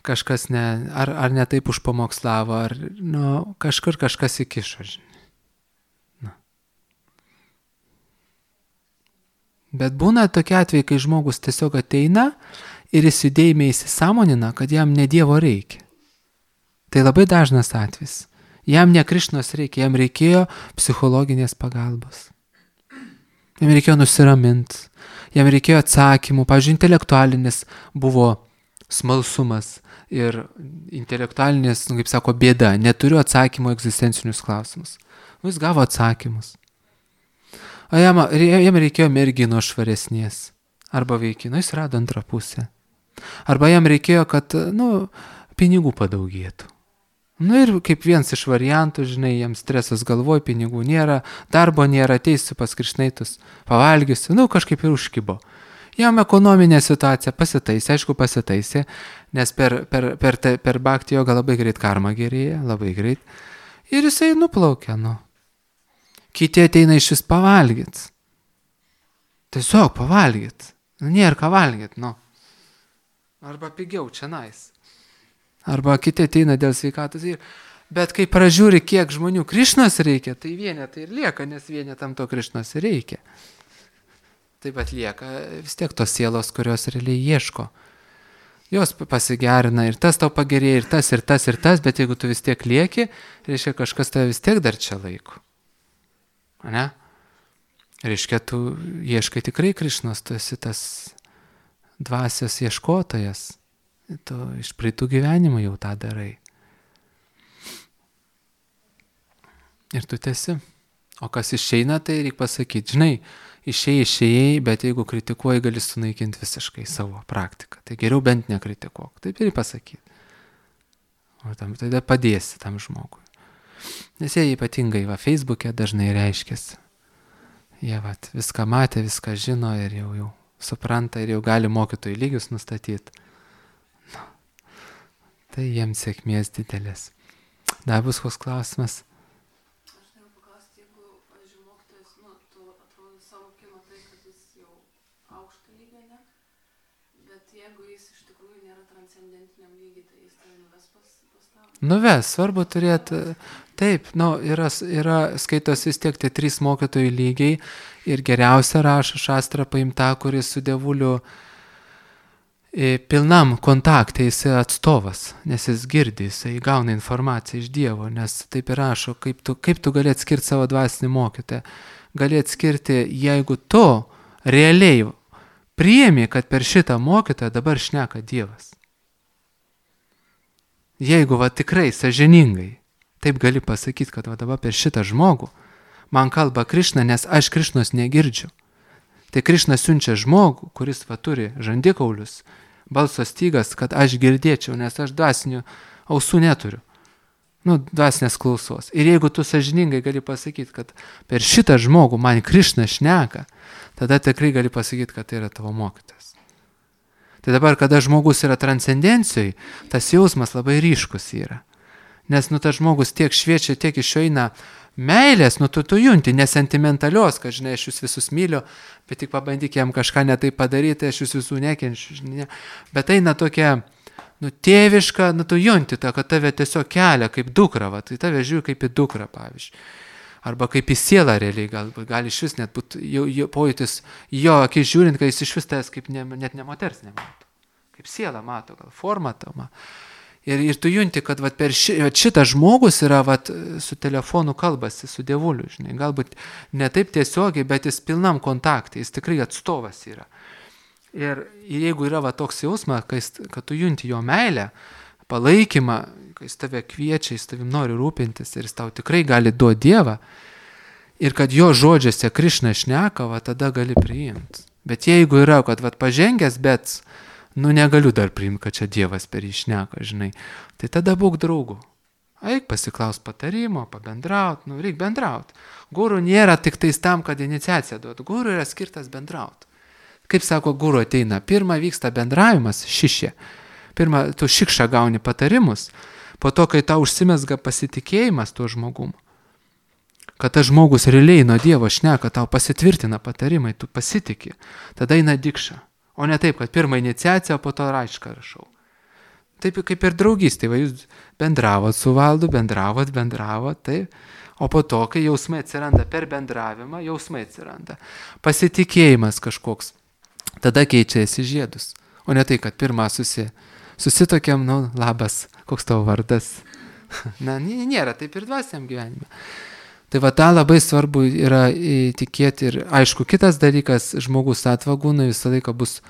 kažkas ar ne taip užpamokslavo, ar kažkur kažkas įkišo, žinai. Bet būna tokie atvejai, kai žmogus tiesiog ateina ir jis judėjime įsisąmonina, kad jam ne Dievo reikia. Tai labai dažnas atvejis. Jam ne Krišnos reikia, jam reikėjo psichologinės pagalbos. Jam reikėjo nusiraminti, jam reikėjo atsakymų. Pavyzdžiui, intelektualinis buvo smalsumas ir intelektualinis, kaip sako, bėda. Neturiu atsakymų egzistencinius klausimus. Jis gavo atsakymus. O jam reikėjo mergino švaresnės. Arba vaikino, jis rado antrą pusę. Arba jam reikėjo, kad, pinigų padaugėtų. Nu ir kaip vienas iš variantų, žinai, jiems stresas galvoj, pinigų nėra, darbo nėra, ateisiu pas Krišnaitus, pavalgysiu, nu kažkaip ir užkibo. Jam ekonominė situacija pasitaisė, aišku pasitaisė, nes per bhakti jogą labai greit karma gerėja, labai greit. Ir jisai nuplaukia, nu. Kiti ateina iš vis pavalgyt. Tiesiog pavalgyt. Nu, nėra ką valgyt, nu. Arba pigiau čia nais. Arba kiti ateina dėl sveikatos. Bet kai pražiūri, kiek žmonių Krišnos reikia, tai vienetai ir lieka, nes vienetam to Krišnos reikia. Taip pat lieka vis tiek tos sielos, kurios realiai ieško. Jos pasigerina ir tas tau pagerėja, ir tas, ir tas, ir tas, bet jeigu tu vis tiek lieki, reiškia kažkas tave vis tiek dar čia laiko. Ne? Reiškia, tu ieškai tikrai Krišnos, tu esi tas dvasios ieškotojas. Tu iš praeitų gyvenimų jau tą darai. Ir tu tesi. O kas išeina, tai reikia pasakyti, žinai, išėjai, bet jeigu kritikuoji, gali sunaikinti visiškai savo praktiką. Tai geriau bent nekritikuok. Taip ir pasakyti. O tada padėsi tam žmogui. Nes jie ypatingai Facebook'e dažnai reiškiasi. Jie viską matė, viską žino ir jau supranta ir jau gali mokytojų lygius nustatyti. Tai jiems sėkmės didelės. Dar bus koks klausimas? Aš noriu paklausti, jeigu, pavyzdžiui, mokytojas, tu atrodo savo kimo tai, kad jis jau aukšto lygio, ne? Bet jeigu jis iš tikrųjų nėra transcendentiniam lygiai, tai jis tai nuves pas tą? Nuves, svarbu turėti, taip, yra skaitos vis tiek tie 3 mokytojų lygiai ir geriausia rašo šastrą paimta, kuris su dievuliu pilnam kontakte jis atstovas, nes jis girdi, jis gauna informaciją iš Dievo, nes taip ir rašo, kaip tu gali atskirti savo dvasinį mokytoją. Gali atskirti, jeigu tu realiai priimi, kad per šitą mokytoją dabar šneka Dievas. Jeigu tikrai sąžiningai, taip gali pasakyti, kad dabar per šitą žmogų man kalba Krišna, nes aš Krišnos negirdžiu. Tai Krišna siunčia žmogų, kuris turi žandikaulius, balso stygas, kad aš girdėčiau, nes aš dvasinių ausų neturiu. Dvasinės klausos. Ir jeigu tu sąžiningai gali pasakyti, kad per šitą žmogų man Krišna šneka, tada tikrai gali pasakyti, kad tai yra tavo mokytas. Tai dabar, kada žmogus yra transcendencijai, tas jausmas labai ryškus yra. Nes tas žmogus tiek šviečia, tiek iš jo eina meilės, tu junti, nesentimentalios, kad, žinai, aš jūs visus myliu, bet tik pabandyk jam kažką netai padaryti, aš jūs visų nekenčiu, žinai. Bet eina tokia, tėviška, tu junti tą, kad tave tiesiog kelia kaip dukra, tai tave žiūri kaip į dukrą, pavyzdžiui. Arba kaip į sielą realiai, gali iš vis net būti pojūtis jo akis žiūrint, kad jis iš vis tas kaip net ne moters nemato. Kaip sielą mato, gal formą tama. Ir tu junti, kad per šitą žmogus yra su telefonu kalbasi, su dievuliu, žinai, galbūt ne taip tiesiogiai, bet jis pilnam kontaktai, jis tikrai atstovas yra. Ir jeigu yra toks jausmas, kad tu junti jo meilę, palaikymą, kai jis tave kviečia, jis tavim nori rūpintis ir jis tau tikrai gali duoti Dievą, ir kad jo žodžiuose Krišna šneka, tada gali priimti. Bet jeigu yra, kad pažengęs, bet negaliu dar priimti, kad čia Dievas per jį šneka, žinai. Tai tada būk draugų. Eik pasiklaus patarimo, pabendraut, reik bendraut. Guru nėra tik tais tam, kad iniciaciją duotų. Guru yra skirtas bendraut. Kaip sako, guru ateina, pirmą vyksta bendravimas, šišė. Pirmą, tu šikšą gauni patarimus, po to, kai tau užsimesga pasitikėjimas tuo žmogumu. Kad tas žmogus realiai nuo Dievo šneka, tau pasitvirtina patarimai, tu pasitiki. Tada eina dikša. O ne taip, kad pirmą iniciaciją, po to raišką rašau. Taip kaip ir draugystė, jūs bendravot su valdu, bendravot, taip. O po to, kai jausmai atsiranda per bendravimą, jausmai atsiranda. Pasitikėjimas kažkoks. Tada keičiasi žiedus. O ne tai, kad pirmą susitokiam, labas, koks tavo vardas. Nėra taip ir dvasiniam gyvenime. Tai tą labai svarbu yra tikėti ir aišku, kitas dalykas, žmogus atvagūna visą laiką bus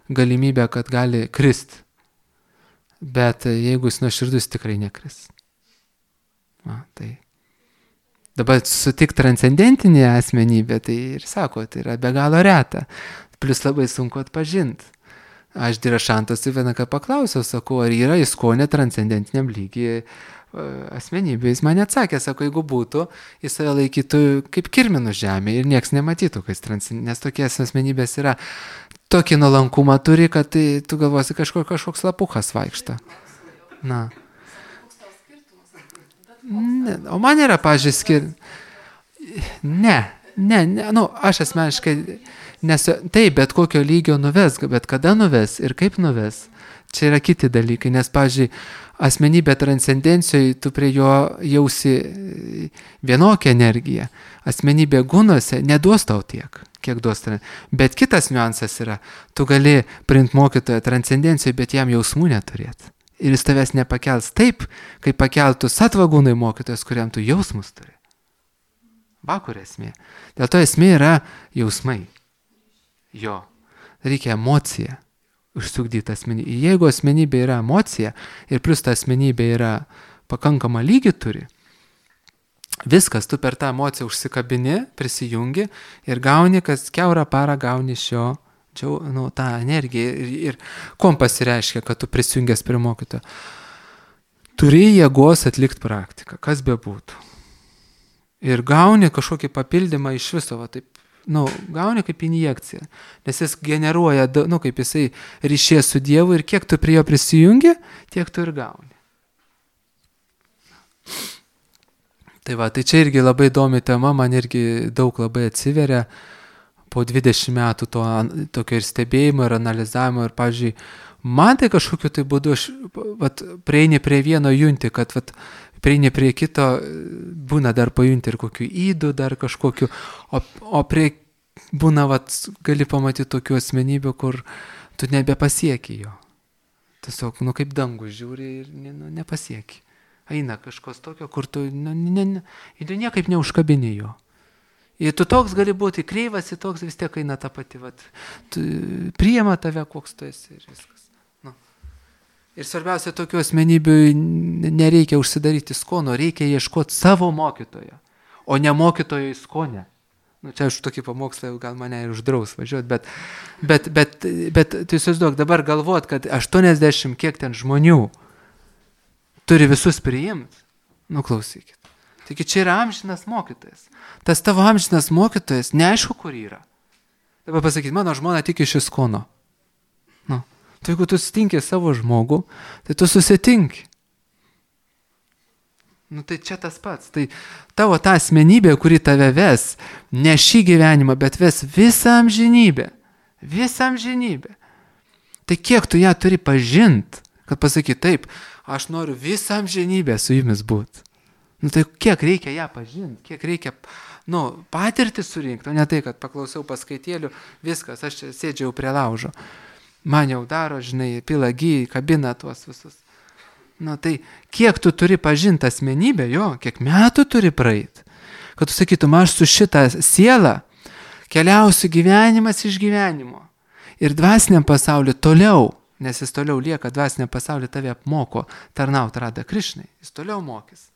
galimybė, kad gali krist. Bet jeigu jis nuoširdus, tikrai nekris. Tai dabar sutik transcendentinė asmenybė, tai ir sako, tai yra be galo reta. Plius labai sunku atpažinti. Aš Dirašantas vieną ką paklausiau, sakau, ar yra įskonė transcendentiniam lygiai asmenybė. Jis man atsakė, sako, jeigu būtų, jis save laikytų kaip kirminų žemė ir nieks nematytų, nes tokie asmenybės yra, tokį nuolankumą turi, kad tai, tu galvosi kažkoks lapukas vaikšta. Na. Ne, o man yra, pažiūrėjau, aš asmeniškai, taip, bet kokio lygio nuves, bet kada nuves ir kaip nuves, čia yra kiti dalykai, nes, pažiūrėjau, asmenybė transcendencijoje, tu prie jo jausi vienokią energiją, asmenybė gunuose neduos tau tiek, kiek duos tau. Bet kitas niuansas yra, tu gali priimti mokytoją transcendencijoje, bet jam jausmų neturėti. Ir jis tavęs nepakels taip, kaip pakeltų satvagūnai mokytojas, kuriam tu jausmus turi. Va kur esmė. Dėl to esmė yra jausmai. Jo. Reikia emociją užsukdyti asmenybę. Jeigu asmenybė yra emocija ir plus ta asmenybė yra pakankama lygį turi, viskas, tu per tą emociją užsikabini, prisijungi ir gauni, kas kiaurą parą gauni iš jo tą energiją. Ir kuom pasireiškia, kad tu prisijungęs prie mokytojo? Turi jėgos atlikti praktiką, kas bebūtų. Ir gauni kažkokį papildymą iš viso, va, taip, gauni kaip injekciją, nes jis generuoja, kaip jisai ryšė su Dievu ir kiek tu prie jo prisijungi, tiek tu ir gauni. Tai va, tai čia irgi labai įdomi tema, man irgi daug labai atsiveria po 20 metų tokio ir stebėjimo, ir analizavimo, ir, pavyzdžiui, man tai kažkokiu tai būdu, prieini prie vieno junti, kad prieini prie kito, būna dar pajunti ir kokių įdų, dar kažkokių, o prie būna, gali pamatyti tokių asmenybių, kur tu nebepasieki jo. Tiesiog, kaip dangų žiūri ir nepasieki. Eina kažkos tokio, kur tu niekaip neužkabini jo. Ir tu toks gali būti kreivas, ir toks vis tiek eina ta pati, priima tave, koks tu esi ir viskas. Ir svarbiausia, tokių asmenybių nereikia užsidaryti skono, reikia ieškoti savo mokytojo, o ne mokytojo į skonę. Čia aš tokį pamokslą, gal mane ir uždraus važiuoti, bet tu įsivaizduok, dabar galvot, kad 80 kiek ten žmonių turi visus priimti, klausykit. Taigi čia yra amžinas mokytojas. Tas tavo amžinas mokytojas, neaišku, kur yra. Dabar pasakyti, mano žmona tik iš įskono. Tai jeigu tu sutinki savo žmogų, tai tu susitinki. Tai čia tas pats. Tai tavo ta asmenybė, kuri tave ves, ne šį gyvenimą, bet ves visą amžinybę. Visą amžinybę. Tai kiek tu ją turi pažinti, kad pasakyti, taip, aš noriu visą amžinybę su jumis būti. Tai kiek reikia ją pažinti, kiek reikia, patirtį surinkti, o ne tai, kad paklausiau paskaitėlių, viskas, aš čia sėdžiau prie laužo. Man jau daro, žinai, pila gyjai, kabina tuos visus. Tai kiek tu turi pažinti asmenybę, kiek metų turi praeiti, kad tu sakytum, aš su šitą sielą keliausiu gyvenimas iš gyvenimo. Ir dvasiniam pasauliu toliau, nes jis toliau lieka dvasiniam pasauliu, tave apmoko tarnauti Radha Krišnai, jis toliau mokys.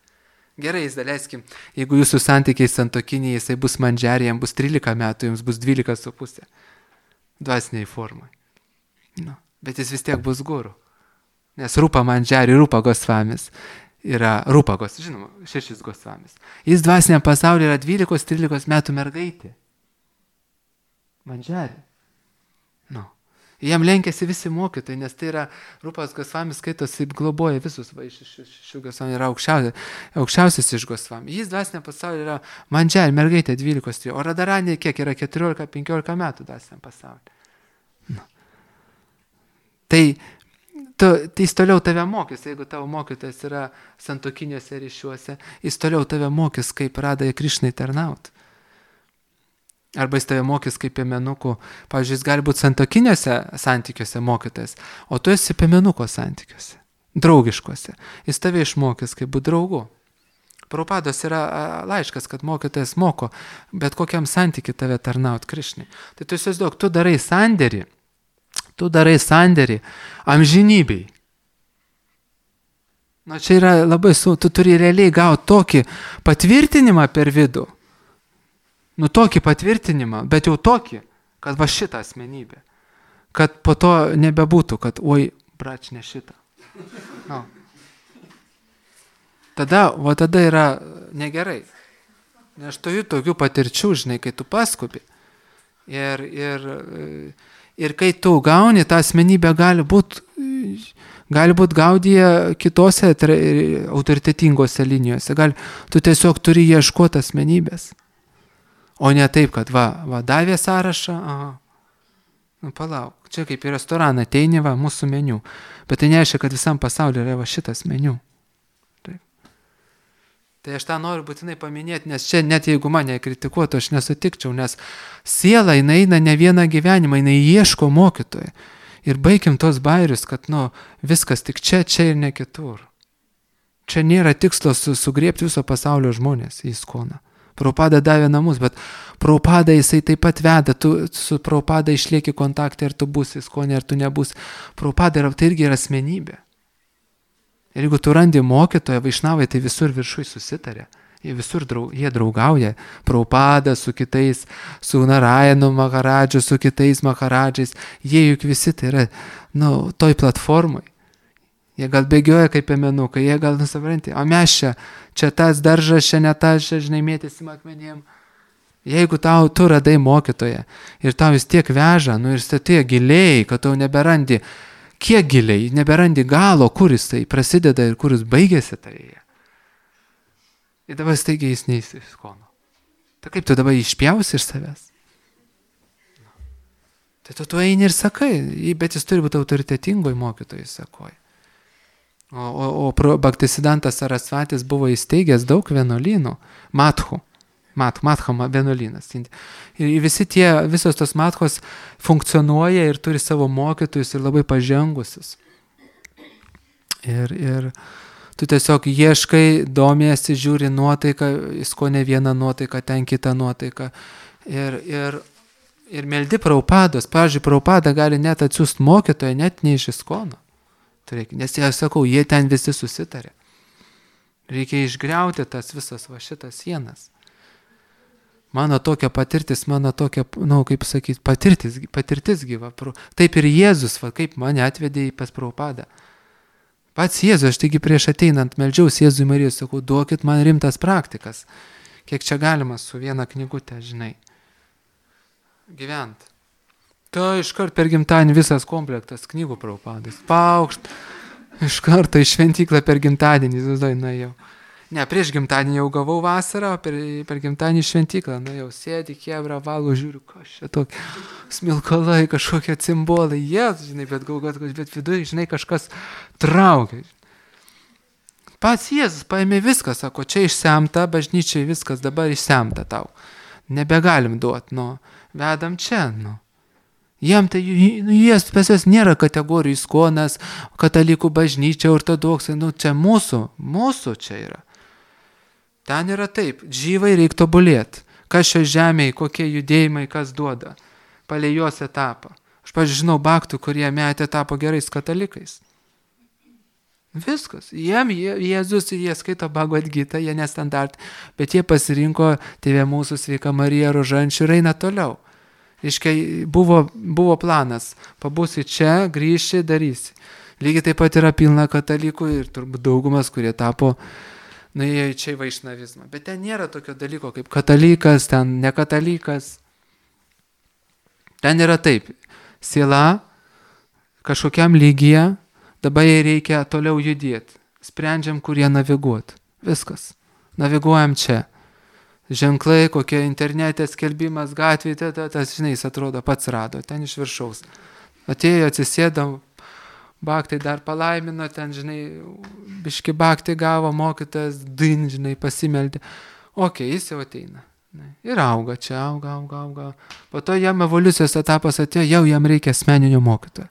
Gerai, daleiskim, jeigu jūsų santykiai santokiniai, jisai bus mandžiarė, jam bus 13 metų, jums bus 12,5 dvasiniai formai. Bet jis vis tiek bus guru. Nes Rupa mandžiarė, Rupa Gosvamis yra Rupa Gosvamis, žinoma, 6 Gosvamis. Jis dvasiniam pasaulyje yra 12-13 metų mergaitė. Mandžiarė. Jam lenkiasi visi mokytojai, nes tai yra Rupas Gosvamis skaitosi, globoja visus, iš Gosvami yra aukščiausias iš Gosvami. Jis dvasiniam pasaulyje yra mandžiarė, mergaitė 12, o Radharanė kiek yra 14-15 metų dvasiniam pasaulyje. Tai jis toliau tave mokys, jeigu tavo mokytojas yra santokiniuose ryšiuose, jis toliau tave mokys, kaip Radhai Krišnai tarnauti. Arba jis tave mokys kaip piemenukų, pavyzdžiui, jis gali būti santokiniuose santykiuose mokytojas, o tu esi piemenuko santykiuose, draugiškuose. Jis tave išmokys kaip būti draugu. Prabhupados yra laiškas, kad mokytojas moko, bet kokiam santykiui tave tarnauti Krišnai. Tai tu įsivaizduok, tu darai sandėrį amžinybei. Čia yra labai tu turi realiai gauti tokį patvirtinimą per vidų. Tokį patvirtinimą, bet jau tokį, kad va šitą asmenybę. kad po to nebebūtų, kad oi, brač, ne šitą. No. Tada yra negerai. Nes turiu tokių patirčių, žinai, kai tu paskubi. Ir kai tu gauni, tą asmenybę gali būt gaudyje kitose autoritetingose linijose. Tu tiesiog turi ieškoti asmenybės. O ne taip, kad davė sąrašą, nu palauk, čia kaip į restoraną ateini, mūsų meniu. Bet tai nereiškia, kad visam pasauliu yra šitas meniu. Tai aš tą noriu būtinai paminėti, nes čia net jeigu mane kritikuotų, aš nesutikčiau, nes siela eina ne vieną gyvenimą, jinai ieško mokytojo. Ir baigim tos bairius, kad viskas tik čia ir ne kitur. Čia nėra tikslo sugriebti viso pasaulio žmonės į Iskoną. Prabhupada davė namus, bet Prabhupada jisai taip pat veda, tu su Prabhupada išlieki kontaktą, ar tu būsi Iskone, ar tu nebūsi. Prabhupada tai irgi yra asmenybė. Ir jeigu tu randi mokytoją, vaišnavai, tai visur viršui susitarė. Jie draugauja. Prabhupada su kitais, su Narayanu Maharadžu, su kitais Maharadžais. Jie juk visi tai yra, toj platformai. Jie gal bėgioja kaip piemenukai, jie gal nusavranti. O mes čia tas daržas, čia ne tas, čia žinai mėtysim akmenėm. Jeigu tu radai mokytoją ir tau vis tiek veža, ir statėja giliai, kad tau neberandi, kiek giliai, neberandi galo, kur jis tai prasideda ir kur jis baigėsi tai. Ir dabar staigiai jis neįs iš Iskono. Tai kaip tu dabar išpjausi iš savęs? Tai tu eini ir sakai, bet jis turi būti autoritetingoj mokytojai, sakoji. O Bhaktisiddhantas Sarasvatis buvo įsteigęs daug vienuolynų, Madhų vienuolynas. Ir visos tos Madhos funkcionuoja ir turi savo mokytojus ir labai pažengusius. Ir tu tiesiog ieškai, domiesi, žiūri nuotaiką, Iskone vieną nuotaiką, ten kitą nuotaiką. Ir meldi Prabhupados. Pavyzdžiui, Prabhupada gali net atsiųsti mokytoją, net ne iš Iskono. Nes jie, sakau, jie ten visi susitarė. Reikia išgriauti tas visas šitas sienas. Mano tokia patirtis, kaip sakyti, patirtis gyva. Taip ir Jėzus, kaip mane atvedė pas Prabhupadą. Pats Jėzus, aš taigi prieš ateinant meldžiausi Jėzui Marijos, sakau, duokit man rimtas praktikas. Kiek čia galima su viena knygutė, žinai, gyvent. Tai iškart per gimtadienį visas komplektas knygų Prabhupadas. Paukšt, iš karto į šventyklą per gimtadienį, nuėjau. Ne, prieš gimtadienį jau gavau vasarą, o per gimtadienį šventyklą nuėjau. Sėdi, kebra, valgo, žiūriu, kas čia tokie smilkalai, kažkokie cimbolai. Žinai, bet viduje, žinai, kažkas traukia. Pats Jėzus paėmė viską, sako, čia išsemta, bažnyčiai viskas dabar išsemta tau. Nebegalim duoti, vedam čia, Jiem tai, pas jas nėra kategorijų Iskonas, katalikų bažnyčia, ortodoksai, čia mūsų čia yra. Ten yra taip, džyvai reikia tobulėti. Kas šio žemėje, kokie judėjimai, kas duoda. Palei jos etapą. Aš pažinau baktų, kurie metė tapo gerais katalikais. Viskas. Jiem Jėzus ir jie skaito Bhagavad Gitą, jie nestandartai, bet jie pasirinko Tėvė mūsų Sveika Marija Rožančių ir eina toliau. Iškai buvo planas, pabūsi čia, grįši, darysi. Lygiai taip pat yra pilna katalikų ir turbūt daugumas, kurie tapo, nuėjo čia į vaišnavizmą. Bet ten nėra tokio dalyko kaip katalikas, ten nekatalikas. Ten yra taip, siela kažkokiam lygyje, dabar jai reikia toliau judėti. Sprendžiam, kur jie naviguoti. Viskas. Naviguojam čia. Ženklai, kokie internete skelbimas, gatvėje, tas, žinai, jis atrodo pats rado, ten iš viršaus. Atėjo, atsisėdo, baktai dar palaimino, ten, žinai, biški baktai gavo, mokytas, žinai, pasimeldė. Jis jau ateina. Ir auga čia, auga. Po to jam evoliucijos etapas atėjo, jau jam reikia asmeninio mokytojo.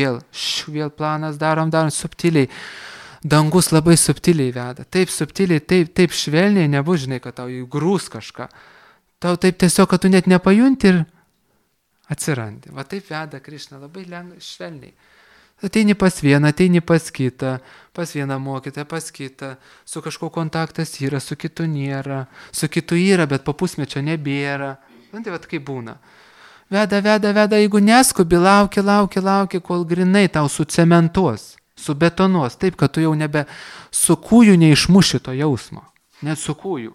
Vėl planas darom subtiliai. Dangus labai subtiliai veda. Taip subtiliai, taip švelniai nebus, žinai, kad tau įgrūs kažką. Tau taip tiesiog, kad tu net nepajunti ir atsirandi. Va taip veda Krišna, labai lengvai, švelniai. Ateini pas vieną, ateini pas kitą, pas vieną mokytą, pas kitą. Su kažkuo kontaktas yra, su kitu nėra. Su kitu yra, bet po pusmečio nebėra. Tai va kaip būna. Veda, jeigu neskubi, lauki, kol grinai tau sucementuos, subetonuos, taip, kad tu jau nebe su kūju neišmuši to jausmo, net su kūju.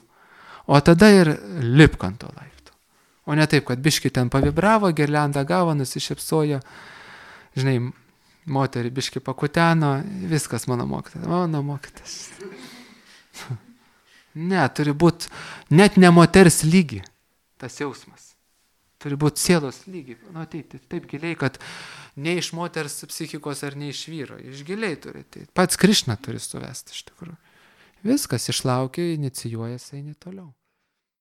O tada ir lipk ant to laipto. O ne taip, kad biški ten pavibravo, girliandą gavo, nusišypsojo, žinai, moterį biški pakuteno, viskas mano mokytas. Ne, turi būti net ne moters lygi tas jausmas. Turi būti sielos lygi. Nu, taip giliai, kad ne iš moters psichikos ar ne iš vyro. Iš giliai turi. Pats Krišna turi suvesti iš tikrųjų. Viskas išlaukia, inicijuojas, eini toliau.